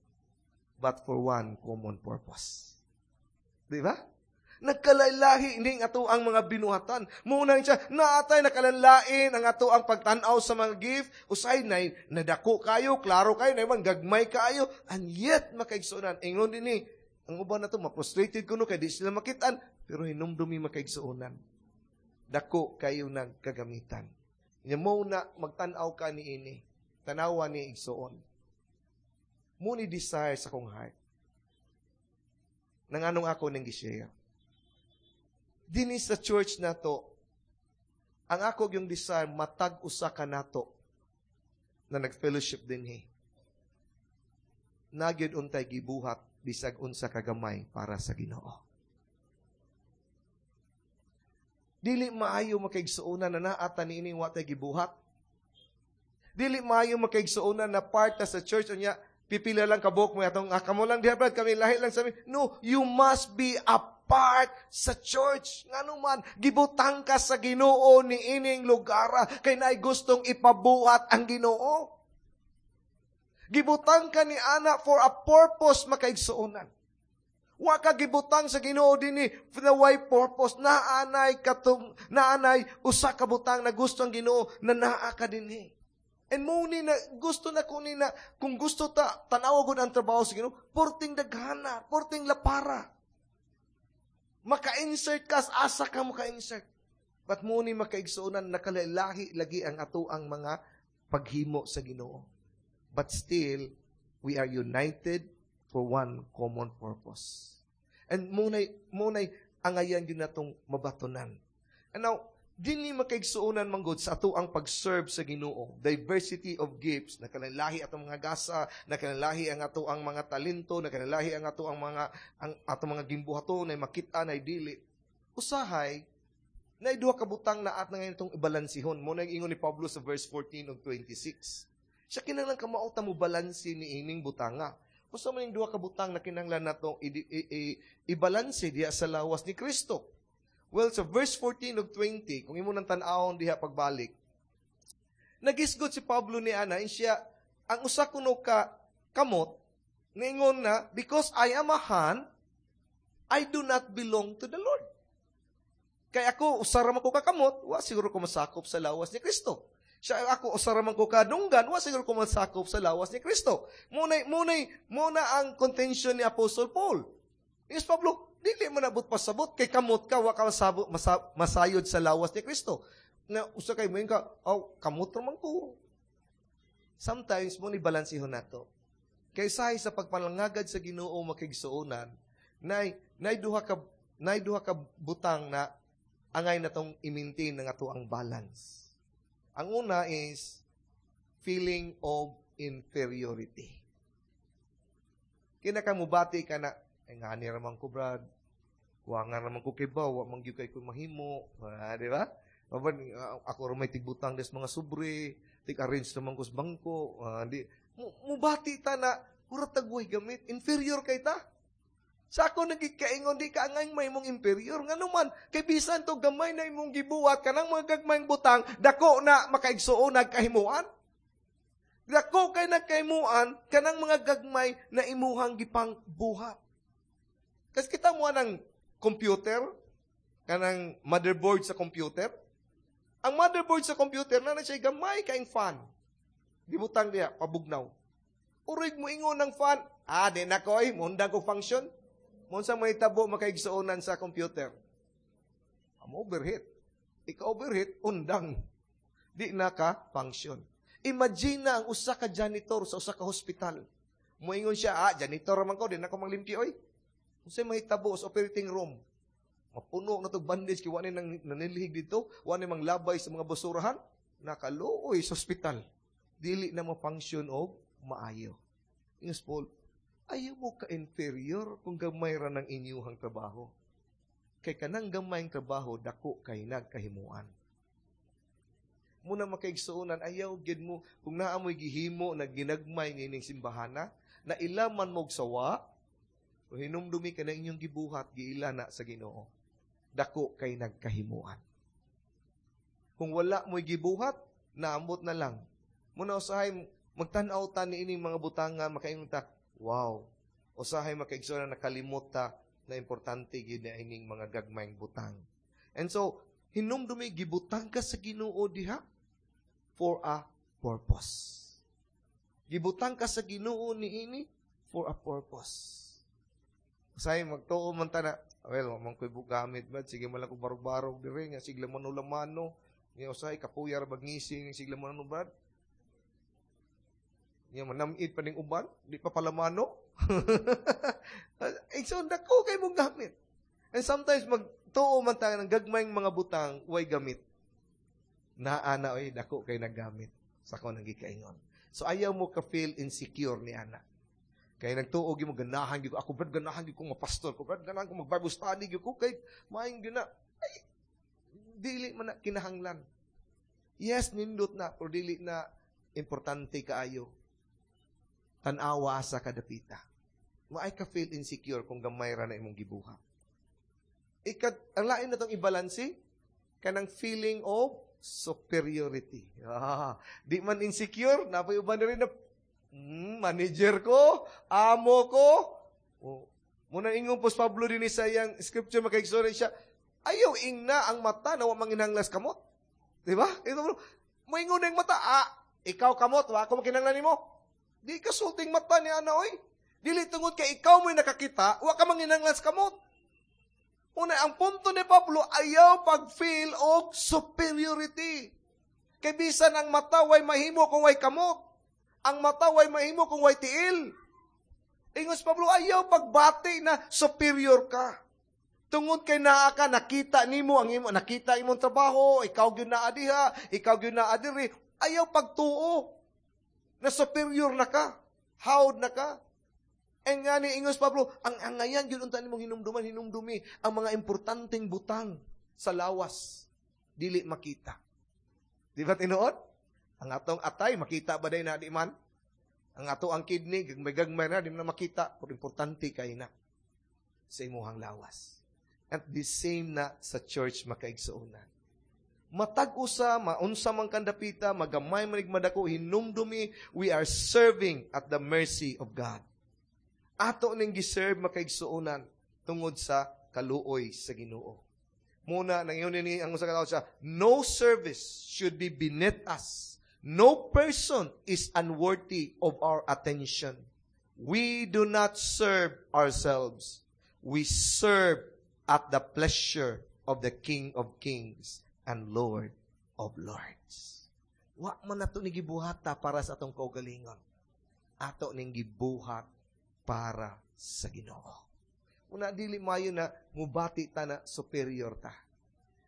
but for one common purpose. Di ba? Nagkalahi ning ato ang mga binuhatan. Muna siya, naatay nakalanlain ang ato ang pagtan-aw sa mga gift. Usay na nadako kayo, klaro kayo, na gagmay kayo, and yet makaigsuonan. Ingon din ni, ang uban na to, ma-frustrated kuno kay di sila makitaan, pero hinumdumi makaigsuonan. Dako kayo nagkagamitan. Nya mo na magtan-aw ka ni ini, tanawa ni igsuon. Mo ni desire sa kong heart. Nanganong ako nang gi-share. Dinhi sa church nato, ang ako yung desire, matag usa ka nato na nag-fellowship dinhi. Nagyod untay gibuhat bisag unsa kagamay para sa Ginoo. Dili maayo makaigsuonan na naata niini wa tay gibuhat. Dili maayo makaigsuonan na part ta sa church unya pipila lang kabuk mo atong ah, kamo lang diha brad kami lahi lang sa amin. No, you must be a part sa church. Ngano man gibutang ka sa Ginoo ni ining lugara kay naay gustong ipabuhat ang Ginoo. Gibutang ka ni ana for a purpose, makaigsuonan. Wa ka gibutang sa Ginoo dinhi for the way purpose. Naanay katong naanay usa ka butang na gusto ang Ginoo na naa ka dinhi. And mo ni na gusto na ko ni na kung gusto ta tan-awa gud ang trabaho sa Ginoo, porting daghana, porting lapara. Maka-insert ka, asa ka maka-insert. But mo ni, makaigsuonan, nakalahi lagi ang ato ang mga paghimo sa Ginoo. But still, we are united for one common purpose. And munay, munay angayan yun natong mabatonan. And now, dinhi, makaigsuonan, manggod sa ato ang pag-serve sa Ginoo, diversity of gifts, nakalahi atong mga gasa, nakalahi ang ato ang mga talento, nakalahi ang ato ang mga ang atong mga gimbuhaton na makita na dili. Usahay na duha ka butang na at na ngayon itong ibalansihon. Mo na ingon ni Pablo sa verse fourteen ug twenty-six. Siya kinahanglan kamao ta mo balanse ni ining butanga. Usa man yung duha ka butang na kinahanglan nato ibalanse diha sa lawas ni Kristo? Well, sa verse fourteen ug twenty, kung imo nang tan-awon diha pagbalik, nagisgot si Pablo ni ana, siya, ang usa kuno ka kamot, ningon na, "Because I am a hand, I do not belong to the Lord." Kaya ako, usa ra man ko kakamot, wa siguro ko masakop sa lawas ni Kristo. Siya, ako, usa ra man ko kadunggan, wa siguro ko masakop sa lawas ni Kristo. Munay, munay, muna ang contention ni Apostle Paul. Yes, Pablo, dili mo nabot pasabot, kay kamot ka, wa ka masabot, masa, masayod sa lawas ni Kristo. Na, usa kay mo ka, "Oh, kamot man ko." Sometimes, mo ni balansihon nato. Kay sahay sa pagpalangagad sa Ginoo, makigsuonan, nay, nay duha ka, nay duha ka butang na angay na tong i-maintain ng ato ang balance. Ang una is feeling of inferiority. Kinakamubati ka na, "Ay ngani raman ko, Brad. Wa nga raman ko kibaw, wa man gyud kay ko mahimo." Ah, di ba? Maban, ako ra may tigbutang des mga sobre, tig-arrange naman ko sa bangko. Ah, di, mubati ta na, mura tagway gamit, inferior kay ta. Sa ako nagikaingon, di ka angay may mong inferior. Ngano man, kay bisan to gamay na imong gibuhat, kanang mga gagmayng butang, dako na makaigsuon nagkahimuan. Dako kay nagkahimuan, kanang mga gagmay na imuhang gipang buhat. Kasi kita mo ng computer, kanang motherboard sa computer. Ang motherboard sa computer, na na siya gamay kaing fan. Gibutang diya, pabugnaw. Urig mo ingon ng fan, "Ah, di na ko ay, mundang ko function." Monsa may tabo, makaigsuonan, sa computer? Am overheat. Ika overheat, undang. Di na ka function. Imagine na ang usa ka janitor sa usa ka hospital. Moingon siya, "Ah, janitor man ko, di na ko manglimpyo oy." Unsay mahitabo sa operating room? Mapuno na tog bandage kay wa ni nang nanilhig dito, wa ni manglabay sa mga basurahan. Nakaluoy sa ospital. Dili na mo-function og maayo. Ingos Paul, ayaw mo ka-inferior kung gamay ra ng inyuhang trabaho. Kay kanang gamayng trabaho, dako kay nagkahimuan. Muna, makaigsuonan, ayaw gid mo, kung naa mo'y gihimo na ginagmay ng simbahana, na ilaman mo'g sawa, o hinumdumi ka na inyong gibuhat, giila na sa Ginoo. Dako kay nagkahimuan. Kung wala mo'y gibuhat, naambot na lang. Muna usahay, magtan-aw ta ni ining mga butanga, makaingon ta, "Wow." Usahay, makaigsuonan, nakalimot ta na importante gid na ining mga gagmayng butang. And so, hinumdumi, gibutang ka sa Ginoo diha for a purpose. Gibutang ka sa Ginoo niini for a purpose. Usahay magtuo man ta na, "Well, man ko'y gamit ba, sige man lang ko barog-barog dire, nga sigla man lamano." Nga usahay kapuya ra bagngisi, sigla man ano, Brad. Nga manamit pa ning uban, di pa palamano. Eh, so, dako kay mong gamit. And sometimes, magtuo man tayo ng gagmayng mga butang, way gamit. Naa na oy, dako kay naggamit. Sa ko nang gikaingon. So, ayaw mo ka feel insecure ni ana. Kay nagtuo mo ganahan gyud ko, ako, Brad, ganahan gyud ko mapastor ko, Brad, ganahan ko mag Bible study gyud ko kay maayong gyud na. Ay, dili man na kinahanglan. Yes, nindot na, pero dili na importante kaayo. Tan-awa sa kadapita. Maay ka feel insecure kung gamay ra na imong gibuhat. Ikat, ang lain na tong ibalanse, kanang feeling of superiority. Ah, di man insecure, napay uban na rin na Mm, manager ko, amo ko. Oh, muna ingon po Pablo din sa iyang scripture makaigsoon siya, ayaw ingna ang mata na wa manginahanglan sa kamot. Di ba? Ito, moingon na yung mata, ah, ikaw kamot, wa ako makinahanglan nimo. Di ka sulting mata ni ana oy. Dili tungod kay ikaw mo'y nakakita, wa ka manginahanglan sa kamot. Una, ang punto ni Pablo, ayaw pag-feel og superiority. Kay bisan ang mata way mahimo kung way kamot. Ang mata way mahimo kung way tiil. Ingon si Pablo, ayaw pagbati na superior ka. Tungod kay naa ka, nakita nimo ang imo, nakita imong trabaho, ikaw gyud naa diha, ikaw gyud naa diri, ayaw pagtuo na superior na ka, hawd na ka. E nga ni ingos Pablo, ang angayan gyud unta nimong hinumduman, hinumdumi ang mga importanteng butang sa lawas dili makita. Di ba tinuod? Ang atong atay makita ba day na di man? Ang ato ang kidney gagmay-gagmay na di man na makita, pero importante kay na sa imuhang lawas. At the same na sa church makaigsuonan. Matag usa, maunsa man kandapita, magamay man madako, hinumdumi, we are serving at the mercy of God. Ato ning giserve makaigsuonan tungod sa kaluoy sa Ginoo. Muna nang yun ni ang usa ka tawo siya, no service should be beneath us. No person is unworthy of our attention. We do not serve ourselves. We serve at the pleasure of the King of Kings and Lord of Lords. Wa man nato ni gibuhata para sa atong kaugalingon. Ato ning gibuhat para sa Ginoo. Una dili mayo na mubati ta na superior ta.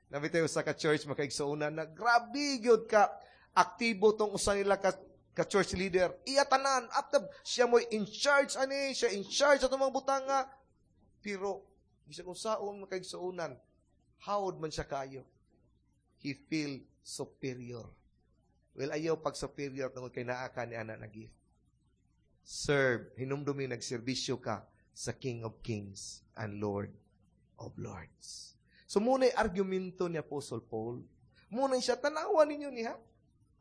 Nabitaw sa ka church makaigsuonan na grabe gyud ka aktibo tong usa nila ka, ka church leader. Iya tanan at siya mo in charge ani, siya in charge atong mga butanga. Pero bisag unsaon makaigsuonan, hawd man siya kayo. He feel superior. Well, ayaw pag superior tungod kay naa ka ni ana na gift. Serve, hinumdumi nagserbisyo ka sa King of Kings and Lord of Lords. So muna'y argumento ni Apostle Paul. Muna siya, tanawa ninyo niya.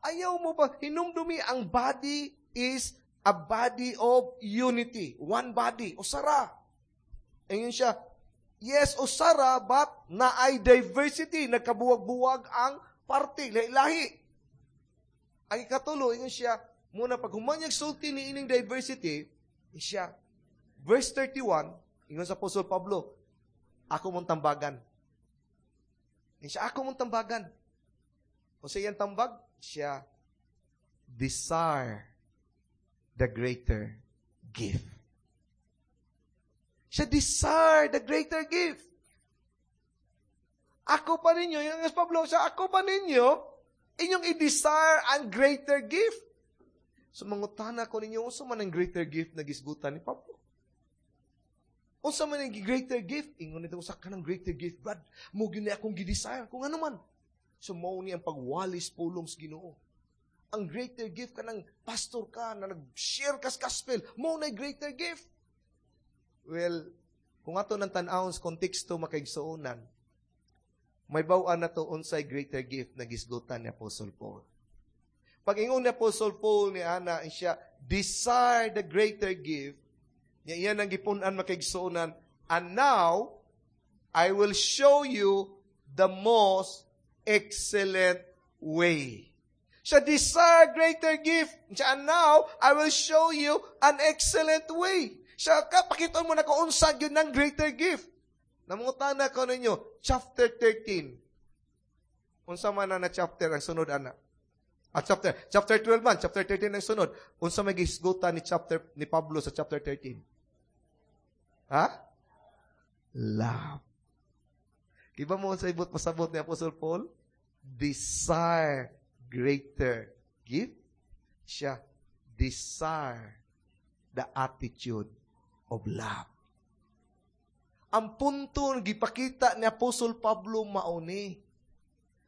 Ayaw mo pa, hinumdumi ang body is a body of unity. One body. Usara. Ayun siya, yes, usara, but naay diversity. Nagkabuwag-buwag ang party. Lahi-lahi. Ang ikatulo, ingon siya, muna pag humanyag sulti ni ining diversity, siya, verse thirty-one, ingon sa Apostol Pablo, ako mong tambagan. Ingon siya, ako mong tambagan. Kung sa iyang tambag, siya, desire the greater gift. Siya, desire the greater gift. Ako pa ninyo, yung Pablo, siya, ako pa ninyo, inyong i-desire ang greater gift. So, mangutana ko ninyo, unsa man ang greater gift na gisgutan ni Pablo? Unsa man ang greater gift? Ingon nito, usa ka ng greater gift, Brad. Mo gyud ni akong gi-desire. Kung ano man. So, mao ni ang pagwalis pulong sa Ginoo. Ang greater gift ka ng pastor ka, na nag-share ka sa gospel, mao na greater gift. Well, kung ato nang tan-awon sa konteksto makaigsuonan, may baw-an na to unsay greater gift na gisgutan ni Apostle Paul. Pag ingon ni Apostle Paul ni Ana, siya, desire the greater gift, niya iyan ang gipun-an makaigsuonan, and now, I will show you the most excellent way. Siya desire greater gift. Siya, and now, I will show you an excellent way. Siya, kapakiton mo na kung unsa gyud ng greater gift. Namungutana ko ninyo, chapter thirteen. Unsa man na na chapter ang sunod, ana? Ah, chapter, chapter twelve man, chapter thirteen ang sunod. Unsa may gisgutan ni chapter ni Pablo sa chapter thirteen? Ha? Love. Iba mo sa ibot pasabot ni Apostle Paul? Desire greater gift. Siya, desire the attitude of love. Ang punto gipakita ni Apostle Pablo mauni.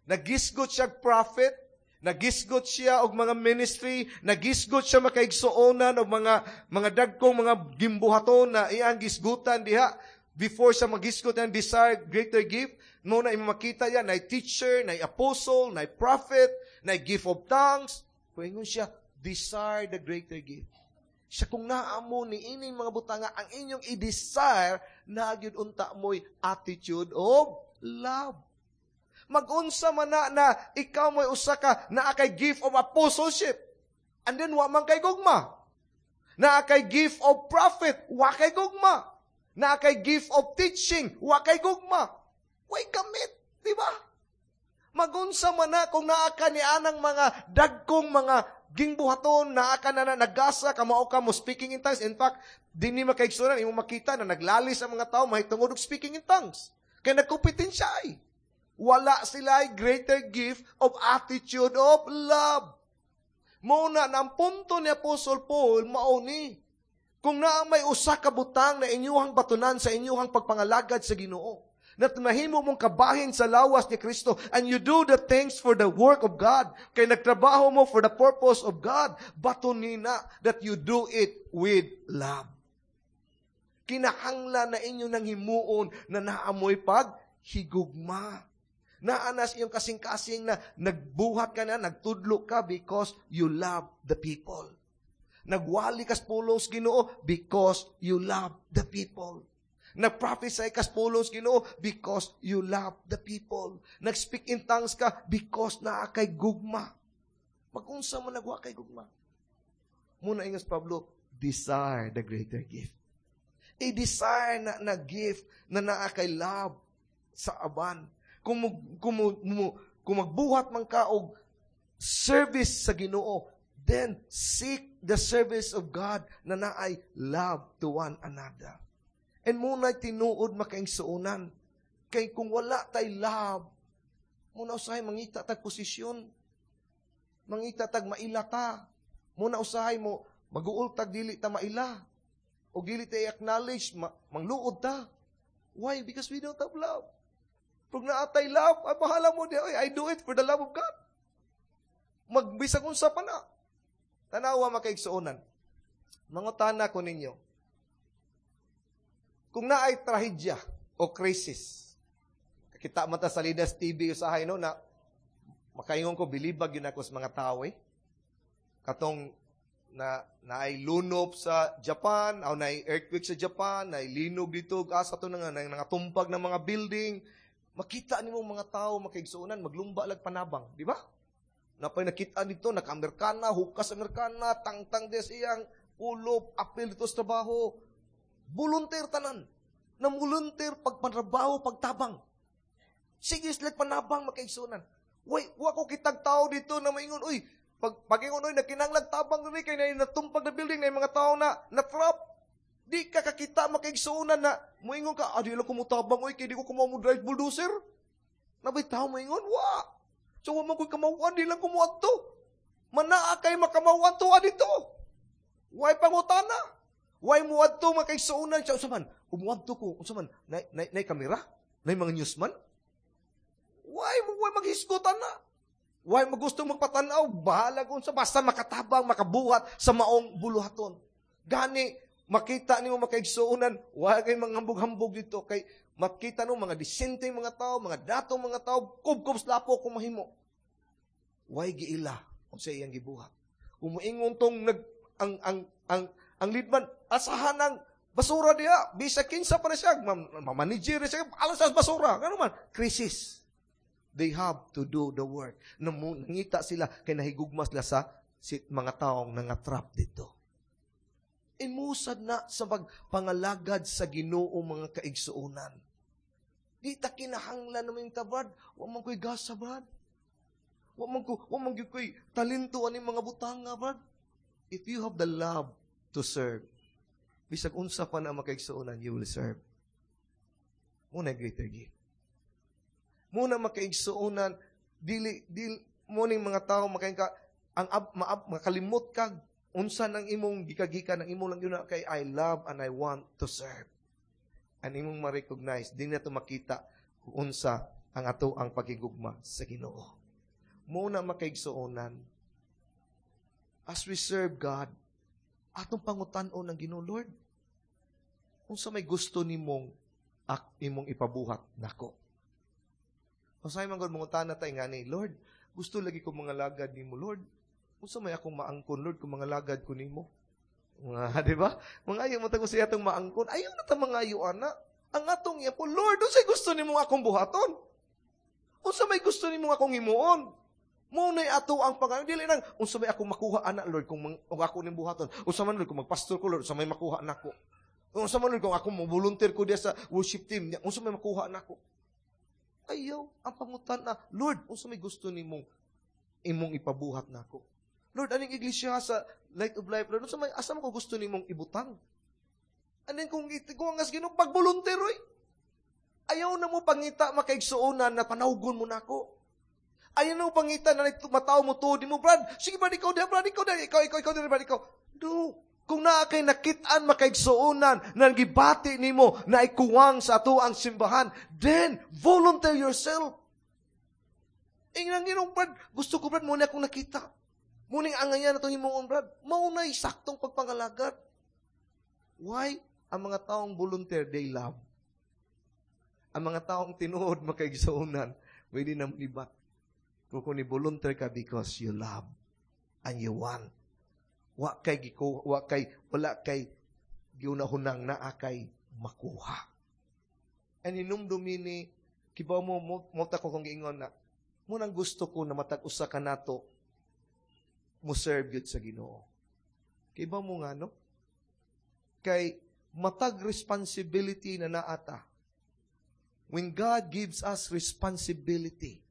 Nagisgot siya prophet, nagisgot siya og mga ministry, nagisgot siya makaigsuonan og mga mga dagkong mga gimbuhaton na iyang gisgutan diha. Before siya magisgot ang desire greater gift, mo na makita yan, na teacher, na apostle, na prophet, na gift of tongues. Kung ingon siya, desire the greater gift. Siya kung naa mo ni ining mga butanga, ang inyong i-desire, na gyud unta mo'y attitude of love. Magunsa man na, na ikaw mo'y usa ka naa kay gift of apostleship. And then wa man kay gugma. Naa kay gift of prophet, wa kay gugma. Naa kay gift of teaching, wa kay gugma. Way gamit, di ba? Magunsa man na kung naa ka ni anang mga dagkong mga gingbuhaton, naa ka na na nagasa, kamao ka mo speaking in tongues. In fact, dinhi makaigsuonan, imong makita na naglalis ang mga tao mahitungod og speaking in tongues. Kay nagkompetensya ay. Wala sila ay greater gift of attitude of love. Mao na ang punto ni Apostle Paul, mao ni. Kung naa may usa ka butang na inyuhang batunan sa inyuhang pagpangalagad sa Ginoo, na mahimo mong kabahin sa lawas ni Kristo and you do the things for the work of God. Kay nagtrabaho mo for the purpose of God, batunin na that you do it with love. Kinahanglan na inyo nang himuon na naamoy pag higugma. Naanas iyong kasing-kasing na nagbuhat ka na, nagtudlo ka because you love the people. Nagwali kas pulong sa Ginoo because you love the people. Nag-prophesy kas pulong sa Ginoo because you love the people. Nag-speak in tongues ka because naa kay gugma. Magunsa mo nagwa kay gugma. Muna ingas Pablo, desire the greater gift. I-desire na, na gift na naa kay love sa aban. Kung, mo, kung, mo, mo, kung magbuhat man ka og service sa Ginoo, then seek the service of God na naay love to one another. And muna'y tinuod makaigsuonan. Kay kung wala tay love, muna usahay mangita tag posisyon. Mangita tag maila ta. Muna usahay mo, maguol tag dili ta maila. O dili ta i-acknowledge, ma- mangluod ta. Why? Because we don't have love. Pag naatay love, ay bahala mo di, ay, I do it for the love of God. Magbisag unsa pa na. Tanawa makaigsuonan. Mangutana ko ninyo. Kung naay trahedya o crisis, kita man ta sa Lidas T V usahay no na makaingon ko bilibag yun ako sa mga tao eh. Katong na naay lunop sa Japan, o naay earthquake sa Japan, naay linog dito, asa to nga nangatumpag ng mga building. Makita nimo mga tao makaigsuonan maglumba lag panabang, di ba? Napay nakita dito, naka-Amerikana, hukas Amerikana, tangtang des iyang ulo, apil dito sa trabaho. Volunteer tanan. Na volunteer pagpanrabaho, pagtabang. Sige sila panabang makaigsuonan. Way, wa ko kitag tao dito na maingon, uy, pag pagingon, uy, nagkinahanglag tabang diri kay na natumpag na building na mga tao na na trap. Di ka kakita makaigsuonan na moingon ka, ah, di lang ko motabang, uy, kay di ko kumaw mo drive bulldozer. Nabay tao moingon, wa. So, wa man ko'y kamawan, di lang ko muadto. Manaa kay makamawan to dito. Way pangutana. Way muadto makaigsuonan siya. Unsa man, umuadto ko, unsa man, nay, nay, nay kamera? Nay mga newsman? Why mo why maghisgutan na? Why mo gusto magpatanaw? Bahala kung sa basta makatabang, makabuhat sa maong buluhaton. Gani, makita nimo makaigsuonan, why kay mga hambog-hambog dito kay makita no mga disente mga tao, mga datong mga tao, kubkob sa lapo kung mahimo. Why giila unsa iyang gibuhat? Kung moingon tong nag ang ang ang ang leadman asahan ang basura diha, bisa kinsa pa na siya, ma- manager siya, alas sa basura. Ngano man? Crisis. They have to do the work. Nangita sila kay nahigugma sila sa si, mga taong nangatrap dito. Imusad na sa pagpangalagad sa Ginoo mga kaigsuonan. Di ta kinahanglan naman ta, Brad. Wa man ko'y gasa, Brad. Wa man ko, wa man gyud ko'y talento ani mga butanga, Brad. If you have the love to serve, bisag unsa pa na makaigsuonan, you will serve. Muna greater gift. Muna makaigsuonan, dili, dili, mo ning mga tao makain ka, ang ab, maab, makalimot ka, unsa nang imong gikagikan ang imong lang yun kay I love and I want to serve. And imong ma-recognize, di na to makita kung unsa ang ato ang pagigugma sa Ginoo. Muna makaigsuonan, as we serve God, atong pangutan-on ng Ginoo, "Lord, unsa may gusto nimong ak imong ipabuhat nako?" Usahay man gud mangutana ta ngani, "Lord, gusto lagi ko mangalagad nimo, Lord. Unsa may akong maangkon, Lord, kung mangalagad ko nimo?" Mga, di ba? Mangayo mo tag siya atong maangkon. Ayaw na ta mangayo ana. Ang atong iya po, Lord, unsay gusto nimo akong buhaton? Unsa may gusto nimo akong himuon? Mao nay ato ang pangayo. Dili nang unsa may akong makuha ana Lord kung, mang, kung ako ning buhaton. Unsa man Lord kung magpastor ko Lord, unsa may makuha nako. Unsa man Lord kung ako mo volunteer ko diya sa worship team, unsa may makuha nako. Ayaw, ang pangutan na, Lord, unsa may gusto nimong imong ipabuhat nako. Lord, aning iglesia sa Light of Life, Lord, unsa may asa man ko gusto nimong ibutang? Aning kung kung ang Ginoo pag-volunteer oy. Ayaw na mo pangita makaigsuonan na panawgon mo nako. Ayaw na mo pangita na matao mo to, di mo, Brad, sige Brad, ikaw diha, Brad, ikaw diha, ikaw, ikaw, ikaw, diha, Brad, ikaw. No. Kung naa kay nakit-an makaigsuonan na gibati nimo na ikuwang sa ato ang simbahan, then volunteer yourself. Ingnan Ginoo, Brad, gusto ko, Brad, muna akong nakita. Muning angayan na itong himuon, Brad. Mao na'y saktong pagpangalagad. Why? Ang mga taong volunteer, they love. Ang mga taong tinuod makaigsuonan, pwede na libat. Kung kung ni-volunteer ka because you love and you want. Wa kay giku, wa kay wala kay giunahunang naa kay makuha. And hinumdumi ni kibaw mo mo, mo ta ko kung giingon na mo nang gusto ko na matag usa ka nato mo serve gyud sa Ginoo. Kibaw mo nga no? Kay matag responsibility na naata. When God gives us responsibility,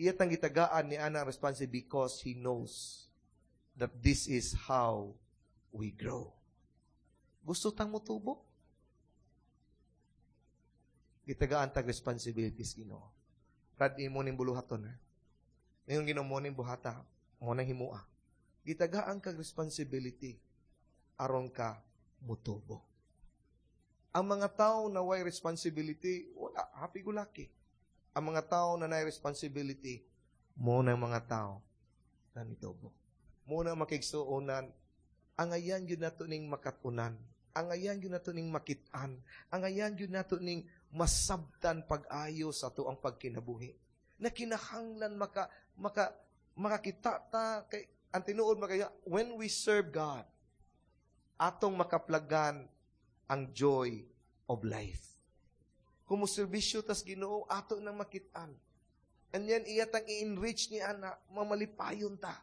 iya tang gitagaan ni ana responsibility because He knows that this is how we grow. Gusto tang motubo? Gitagaan tag responsibilities Ginoo. Brad, imo ning buluhaton ha. Ngayon Ginoo mo ning buhata, mo nang himua. Gitagaan kag responsibility aron ka mutubo. Ang mga tao na way responsibility, wala, happy go lucky. Ang mga tao na nay responsibility, mo na mga tao na nitubo. Mo na makigsuonan, ang ayan yun nato ning makatunan, ang ayan yun nato ning makitaan, ang ayan yun nato ning masabtan pag-ayo sa ato ang pagkinabuhi. Na kinahanglan maka, maka, makakita ta, kay, ang tinuod makaya, when we serve God, atong makaplagan ang joy of life. Kung moserbisyo tas Ginoo, ato nang makitaan. And yan, iyatang i-enrich ni ana, mamalipayon ta.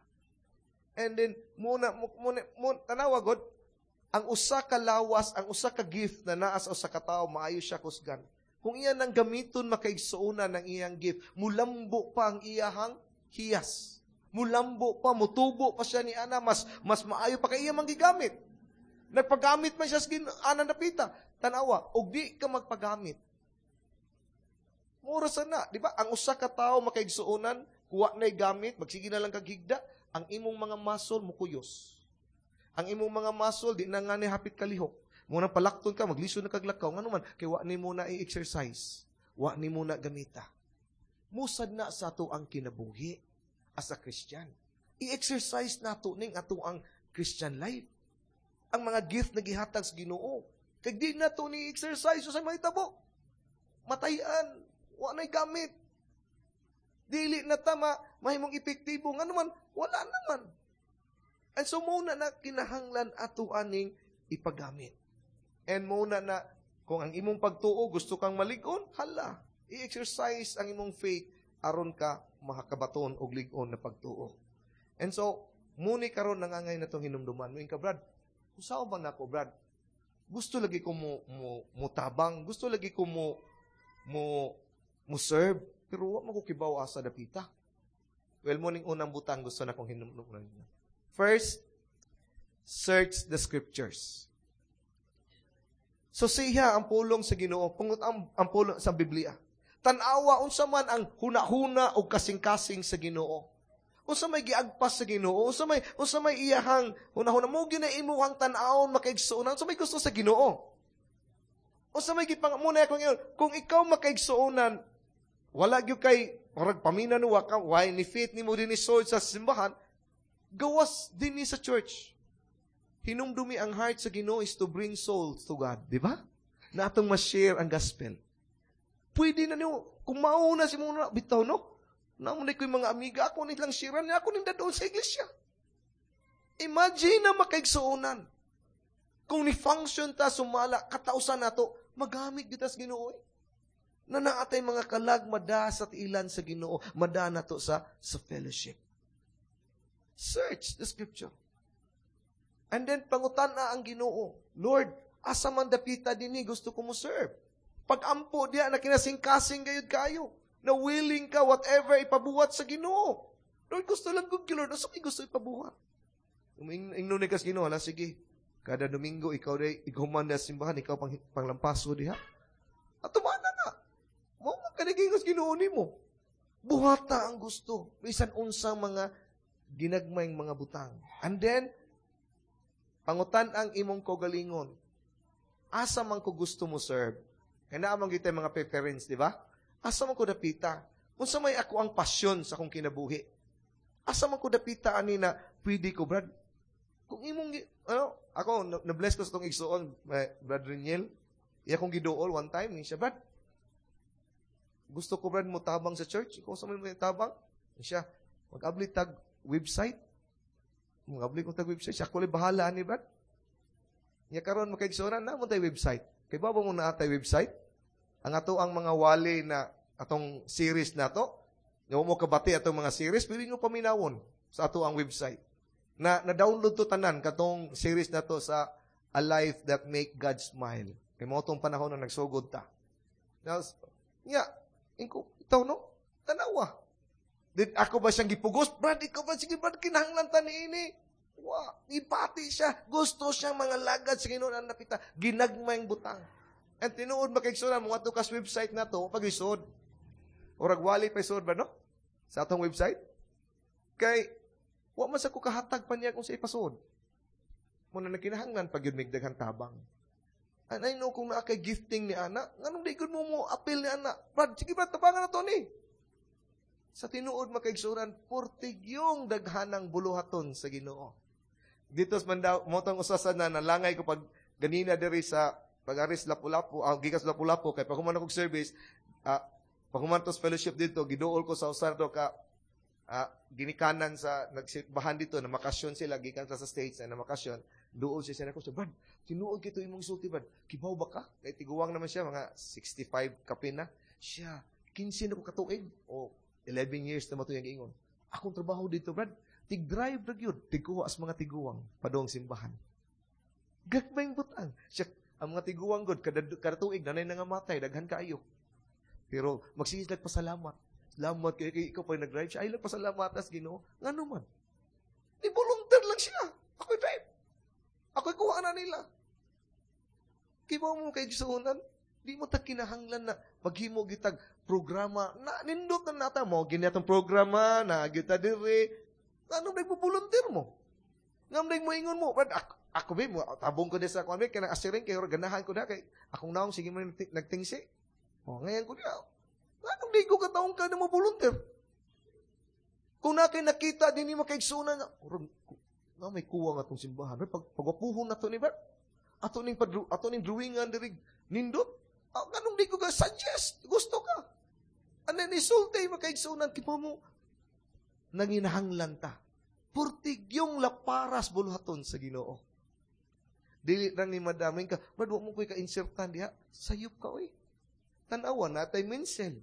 And then, muna, muna, muna, tanawa God, ang usa ka lawas, ang usa ka gift na naa sa usa ka tawo, maayo siya kusgan. Kung iya nang gamiton makaigsuonan ng iyang gift, mulambo pa ang iyahang hiyas. Mulambo pa, mutubo pa siya ni ana, mas, mas maayo pa kay iya manggigamit. Nagpagamit man siya sa ana napita. Tanawa, og di ka magpagamit. Mura sa na, di ba? Ang usa ka tawo makaigsuonan, kuha na'y gamit, magsige na lang kag higda, ang imong mga muscle mukuyos. Ang imong mga muscle di na nga ni hapit kalihok. Muna palakton ka, maglisod na kag lakaw. Ngano man, kay wa ni mo na i-exercise. Wa ni mo na gamita. Musad na sa ato ang kinabuhi as a Christian. I-exercise nato ning ato ang Christian life. Ang mga gift na gihatag sa Ginoo. Kay di na to ni exercise sa mahitabo. Matayan, wa na'y gamit. Dili na tama, mahimong epektibo. Ngano man, wala naman. And so muna na kinahanglan ato aning ipagamit. And muna na, kung ang imong pagtuo gusto kang malig-on, hala, i-exercise ang imong faith aron ka makakabaton og lig-on na pagtuo. And so, muni karon nangangay na itong hinumduman. Muing ka, Brad, usaw ba nako, Brad? Gusto lagi ko mo, mo, mo tabang, gusto lagi ko mo, mo, mo serve, pero wa man ko kibaw asa dapita. Well, muning unang butang gusto na kong hinumduman ninyo. First, search the scriptures. So siya ang pulong sa Ginoo, pungot ang, ang pulong sa Biblia. Tan-awa unsa man ang huna-huna o kasing-kasing sa Ginoo. Unsa may giagpas sa Ginoo, unsa may unsa may iyahang huna-huna mo gina imuhang tan-awon makaigsuonan, unsa may gusto sa Ginoo. Unsa may gipang muna akong ingon, kung ikaw makaigsuonan, wala gyud kay murag pamina no wa ka, why ni fit nimo dinhi sold sa simbahan, gawas dinhi sa church. Hinumdumi ang heart sa Ginoo is to bring souls to God, di ba? Na atong ma-share ang gospel. Pwede na niyo, kung mauna si muna, bitaw no? Naa man ko'y mga amiga, ako nilang siran niya, ako ning doon sa iglesia. Imagine na makaigsuonan. Kung ni-function ta sumala, katausan nato, magamit gyud tas Ginoo. Eh. Na naatay mga kalag, mada sa tiilan sa Ginoo, mada nato sa, sa fellowship. Search the scripture. And then, pangutan na ang Ginoo. Lord, asa man dapita dinhi gusto ko mo serve. Pag-ampo diya na kinasingkasing gayud kayo. Na willing ka whatever ipabuhat sa Ginoo. Lord, gusto lang gud Lord. Asa kay gusto ipabuhat? Ingnon ni kas Ginoo, hala sige. Kada Domingo ikaw day ikaw man na simbahan, ikaw pang panglampaso diha. Ato man na na. Mo man kanigingos Ginoo nimo. Buhata ang gusto. Bisan unsang mga ginagmayng mga butang. And then pangutan ang imong kaugalingon. Asa man ko gusto mo serve? Kaya naa man gyud mga preference, di ba? Asa man ko dapita? Unsa may ako ang pasyon sa akong kinabuhi? Asa man ko dapita ani na pwede ko, Brad? Kung imong, ano, ako, na-bless ko sa itong igsuon, Brad Reniel, iya kong giduol one time, ni siya, Brad, gusto ko, Brad, mo tabang sa church. Ikaw sa may tabang? Siya, mag-abli tag website. Mag-abli ko tag website. Siya, ako bahala ni Brad. Nya karon makaigsuonan na mo tay website. Kay ba mo na atay website? Ang ato ang mga wali na atong series na to, nga mo kabati atong mga series, pwede nyo paminawon sa ato ang website. Na na-download to tanan katong series na to sa A Life That Make God Smile. Kay mo tong panahon na nagsugod ta. Now, nya, ingko, itaw no? Tanawa. Did ako ba siyang gipugos? Brad, ikaw ba? Sige, Brad, kinahanglan ta niini. Wa, ipati siya. Gusto siyang mga lagad sa Ginoo na napita. Ginagmayng butang. And tinuod makaigsuonan mo ato kas website na to pag isod. Urag wali pa isod ba no? Sa atong website. Kay wa man sa ko kahatag pa niya kung sa ipasod. Muna na kinahanglan pag yun migdaghan tabang. And I know kung naa kay gifting ni ana, nganong di gud mo mo appeal ni ana. Brad, sige Brad, tabangan na to ni. Sa tinuod makaigsuonan, portigyong daghanang buluhaton sa Ginoo. Dito sa mandaw, motong usasan na nalangay ko pag ganina diri sa pag-aris Lapu-Lapu, ah, gikas Lapu-Lapu, kay pag human akong service, ah, pag human tos fellowship dito, giduol ko sa usar do ka, ah, ginikanan sa nagsimbahan dito, na makasyon sila, gikan sa States, na namakasyon, duol siya siya nako, siya, Brad, tinuod kito imong sulti, Brad, kibaw ba ka? Kay tiguwang naman siya, mga sixty-five kapin na. Siya, kinse na ko katuig, o eleven years na matuyan giingon. Akong trabaho dito, Brad, tig-drive ra gyud, tigkuha as mga tiguwang padung simbahan. Gagmayng butang. Siya, ang mga tiguwang god kada kada tuig nanay nangamatay, daghan kaayo. Pero magsige lag pasalamat. Salamat kay, kay ikaw pa nag-drive siya. Ay lang pasalamat as Ginoo. Ngano man? Ni volunteer lang siya. Ako'y drive. Ako'y kuha na nila. Kibaw mo kay gisuonan, di mo ta kinahanglan na maghimo gitag programa na nindot na nata mo gini atong programa na gita dire. Ano ba volunteer mo? Ngam mo ingon mo, Brad, ako, ako ba, mo, tabong ko din sa kuan kay nang asiring kay ganahan ko na kay akong naong sige mo nagtingsi. O ngayon ko niya. Anong di ko kataong ka na mo volunteer? Kung na kay nakita din ni makaigsunan na, na may kuwang atong simbahan. Pag pagwapuhon na to ni Brad. Ato ning padru, ato ning drawingan diri nindot. Ah, anong di ko ka suggest? Gusto ka. Ano ni sulti makaigsunan kipa mo nanginahanglan ta. Purtigyong laparas buluhaton sa Ginoo. Dili lang ni madaming ka, Brad, wa mo ko'y ka-insertan diha. Sayop ka, oy. Tanawa na tay minsel.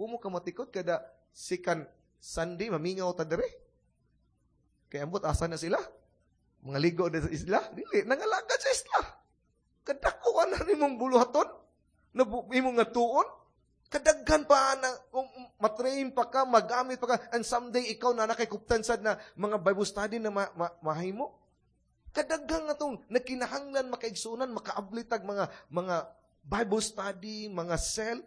Wa mo ka matikot kada second Sunday, mamingaw ta dire. Kaya ambot, asa na sila? Mga ligo na sa isla? Dili, nangalagad sa isla. Kadako na nimong buluhaton? Na imong nga tuon? Kadaghan pa na, kung matrain pa ka, magamit pa ka, and someday ikaw na nakikuptan sad na mga Bible study na ma- ma- mahimo. Kadaghan nga tong nakinahanglan, makaigsunan, makaabli tag mga, mga Bible study, mga cell.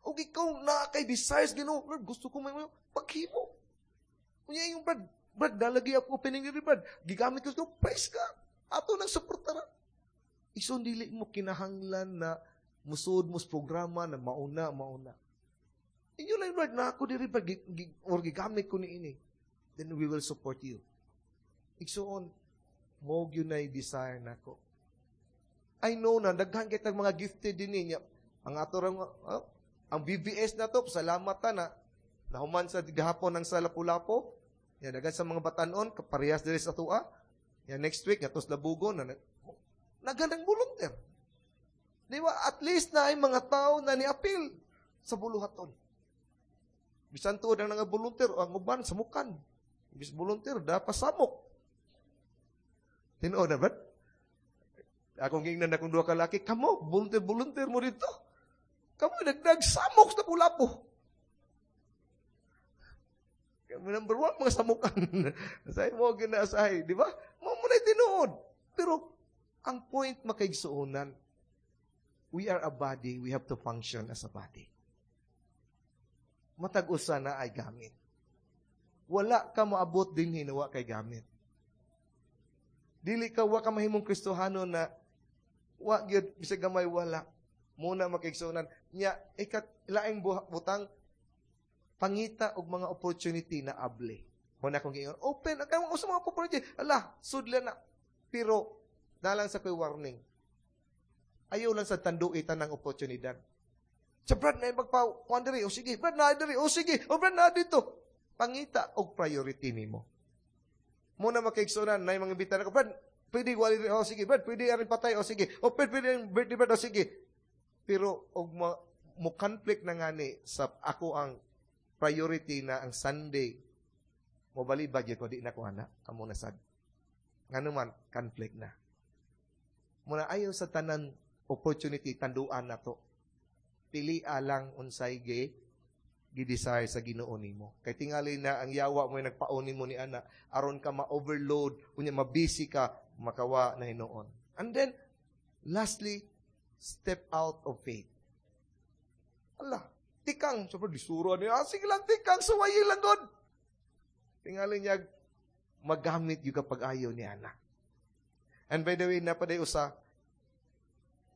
O ikaw na kay desires Ginoo, Lord, gusto ko may mga paghimo. Unya yung Brad, Brad, dalagi ako opening ni Brad. Gigamit ko, praise God. Ato nang suportara. Ison dili mo kinahanglan na musud mo sa programa na mauna, mauna. Inyo lang, Brad, na ako diri, Brad, gi, gi, or gigamit ko ni ini. Then we will support you. Igsuon, mo gyud na desire nako. I know na, daghan kay tag mga gifted din niya. Ang ato rang, oh, ang B B S na to, salamat ta na, Nahuman sa gahapon ang sa Lapu-Lapu. Ya, dagan sa mga batanon, kaparehas diri sa atoa. Ya, next week, nga sa Labugon, na, naganang volunteer. Di ba? At least na ay mga tao na niapil sa buluhaton. Bisan tuod ang nga volunteer, ang uban, samukan. Bis volunteer, dapat samok. Tinuod na ba? Akong gingnan akong duha ka laki, kamo, volunteer, volunteer mo dito. Kamo, dagdag samok sa Lapu-Lapu. Kamo number one, mga samukan. Sa mo ginaasahay, di ba? Mo mo na tinuod. Pero, ang point makaigsuonan, we are a body, we have to function as a body. Matag usa na ay gamit. Wala ka moabot din hinawa kay gamit. Dili ka wa ka mahimong Kristohano na wa gyud bisag gamay wala. Muna makaigsuonan nya ikat laing butang pangita og mga opportunity na able. Mo na akong giingon, open ang usa mga opportunity. Ala, sudlan na. Pero dalang sa koy warning. Ayaw lang sa tandui tanang oportunidad. Sa Brad na magpa kuan diri, o sige, Brad na diri, o sige, o Brad na dito. Pangita og priority nimo. Muna makaigsuonan na mga imbitahan ako, Brad, pwede wali diri, o sige, Brad, pwede aring patay, o sige, o pwede, pwede ang birthday, Brad, o sige. Pero og mo, mo conflict na ngani sa ako ang priority na ang Sunday, mo balibag ko di na ko ana, amo na sad. Ngano man conflict na. Muna ayaw sa tanan opportunity tanduan na to. Pili lang unsay ge gi-desire sa Ginoo nimo. Kay tingali na ang yawa mo nagpaonin mo ni ana aron ka ma-overload, unya mabusy ka makawa na hinuon. And then lastly, step out of faith. Allah, tikang so disuro ni ah, sige lang tikang suwayi lang god. Tingali niya magamit yung kapag ayaw ni ana. And by the way, napaday usa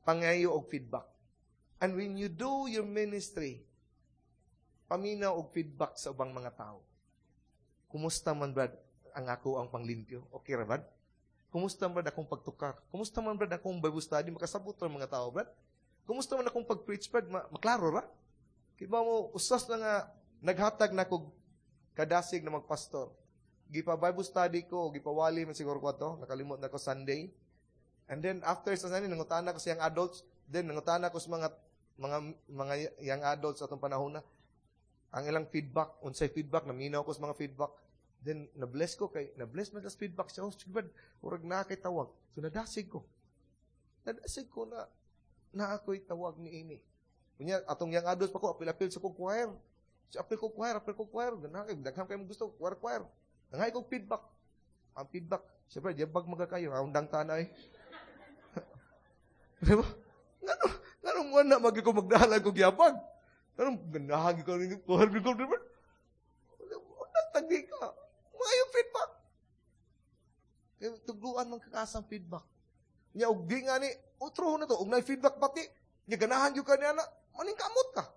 pangayo og feedback. And when you do your ministry, paminaw og feedback sa ubang mga tao. Kumusta man brad ang ako ang panglimpyo? Okay ra brad? Kumusta man brad akong pagtukar? Kumusta man brad akong Bible study? Makasabot ra mga tao brad? Kumusta man akong pag-preach brad? Ma maklaro ra? Kiba mo usas na nga naghatag na kog kadasig na magpastor. Gipa Bible study ko, gipawali man siguro ko ato, nakalimot na ko Sunday. And then after sa Sunday nangutana ko sa young adults, then nangutana ko sa mga mga mga young adults atong panahon na ang ilang feedback, unsay feedback, naminaw ko sa mga feedback. Then na-bless ko kay na-bless man sa feedback siya. Oh, sige brad, murag na kay tawag. So nadasig ko. Nadasig ko na na ako'y tawag ni ini. Unya atong young adults pa ko apil-apil sa kong choir. Si apil ko choir, apil ko choir. Ganahan kay daghan kay mo gusto choir choir. Nangay kog feedback. Ang feedback, siyempre, di bag magakayo, undang tanay. Di ba? Ngano, ngano mo na magi ko magdahalan kog yabag. Ngano ganahan ko ning choir ko, di ba? Undang tagi ka. Maayo feedback. Kaya tugluan man kakasang feedback. Nya og di nga ni utro na to, og nay feedback pati. Nya ganahan gyud ka niya na, maningkamot ka.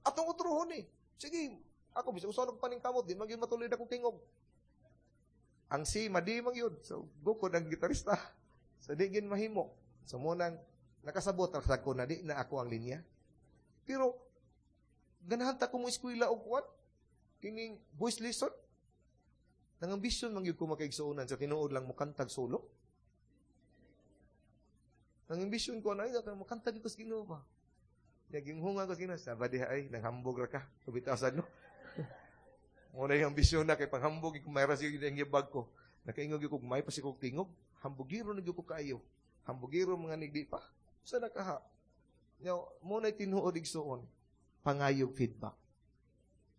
Atong utrohon ni. Sige, ako bisag usa og paningkamot, di man gyud matulid akong tingog. Ang si madi man gyud. So gukod ang gitarista. So di gin mahimo. So mo nang nakasabot ra ko na di na ako ang linya. Pero ganahan ta ko mo eskwela og kuan kining voice lesson. Nang ambisyon man gyud ko makaigsuonan sa tinuod lang mokantag solo. Nang ambisyon ko na ay mokanta gyud ko sa Ginoo ba. Naging hunga ko sa Ginoo, sa diha ay nanghambog ra ka. Kabitasan no. Mo na yung ambisyon na kay panghambog kung may ra ang yabag ko. Nakaingog ko may pa kog tingog, hambugiro na gyud ko kaayo. Hambugiro mga nigdi pa. Sa nakaha. Now, mo na tinuod igsuon pangayog feedback.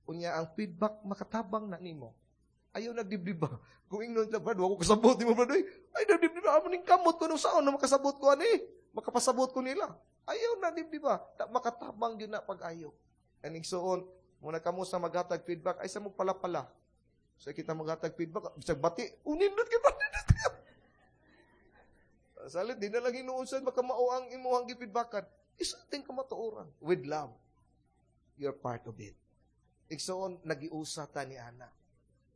Unya ang feedback makatabang na nimo. Ayaw nagdibdib ba? Kung ingnon lang, Brad, wa ko kasabot nimo, Brad. Ay, ay nagdibdib ba? Amo ning kamot ko nung saon na makasabot ko ani. Makapasabot ko nila. Ayaw na dibdib ba? Makatabang gyud na pag-ayo. And igsuon, muna kamo sa maghatag feedback, ay sa mo pala-pala. Sa kita maghatag feedback, bisag bati, unindot kay ba? Salit, di na lang hinuon baka mao ang imuhang gi-feedbackan. Isulting ka matuoran. With love. You're part of it. Igsoon, nagiusa ta ni Ana.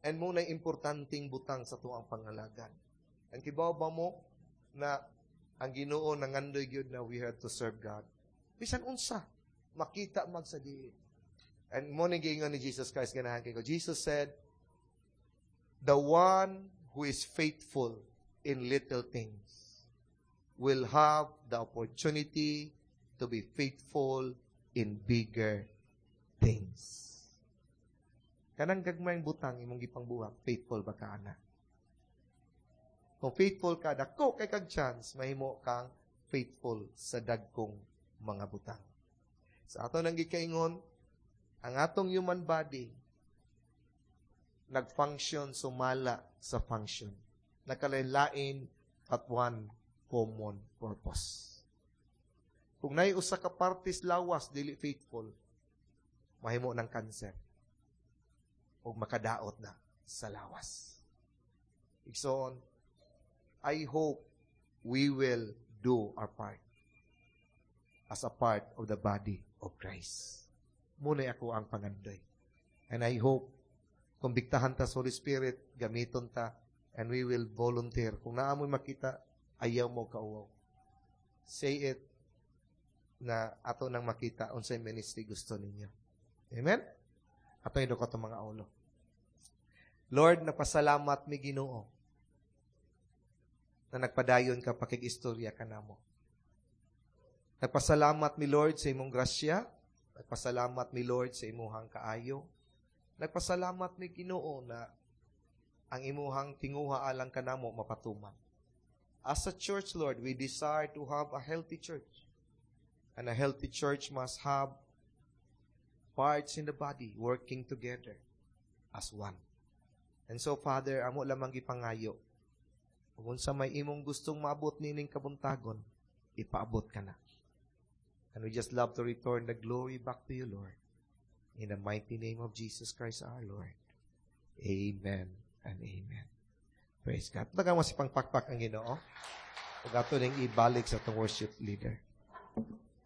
And mo na importanteng butang sa tuang pangalagan. And kibaw ba mo na ang Ginoo nangandoy gyud na we have to serve God. Bisan unsa, makita mag sa diin. And mao ni giingon ni Jesus Christ ganahan kay ko. Jesus said, "The one who is faithful in little things will have the opportunity to be faithful in bigger things." Kanang gagmayng butang imong gipangbuhat, faithful ba ka ana? Kung faithful ka, dako kay kag chance mahimo kang faithful sa dagkong mga butang. Sa ato nang gikaingon, ang atong human body nag-function sumala sa function. Nakalain at one common purpose. Kung naay usa ka partes lawas dili faithful, mahimo ng cancer ug makadaot na sa lawas. Igsoon, I hope we will do our part as a part of the body of Christ. Mao na ako ang pangandoy. And I hope, kung biktahan ta sa Holy Spirit, gamiton ta, and we will volunteer. Kung naa mo'y makita, ayaw mo kauwaw. Say it na ato nang makita unsay ministry gusto ninyo. Amen? Ato yung ko mga ulo. Lord, napasalamat mi Ginoo na nagpadayon ka pakig-istorya ka namo. Nagpasalamat mi Lord sa imong grasya. Nagpasalamat mi Lord sa imuhang kaayo. Nagpasalamat mi Ginoo na ang imuhang tinguha alang kanamo mapatuman. As a church, Lord, we desire to have a healthy church. And a healthy church must have parts in the body working together as one. And so, Father, amo lamang gipangayo. Kung sa may imong gustong maabot nining kabuntagon, ipaabot ka na. And we just love to return the glory back to you, Lord. In the mighty name of Jesus Christ our Lord. Amen and amen. Praise God. Taga mo si pangpakpak ang Ginoo. Ug ato ning ibalik sa atong worship leader.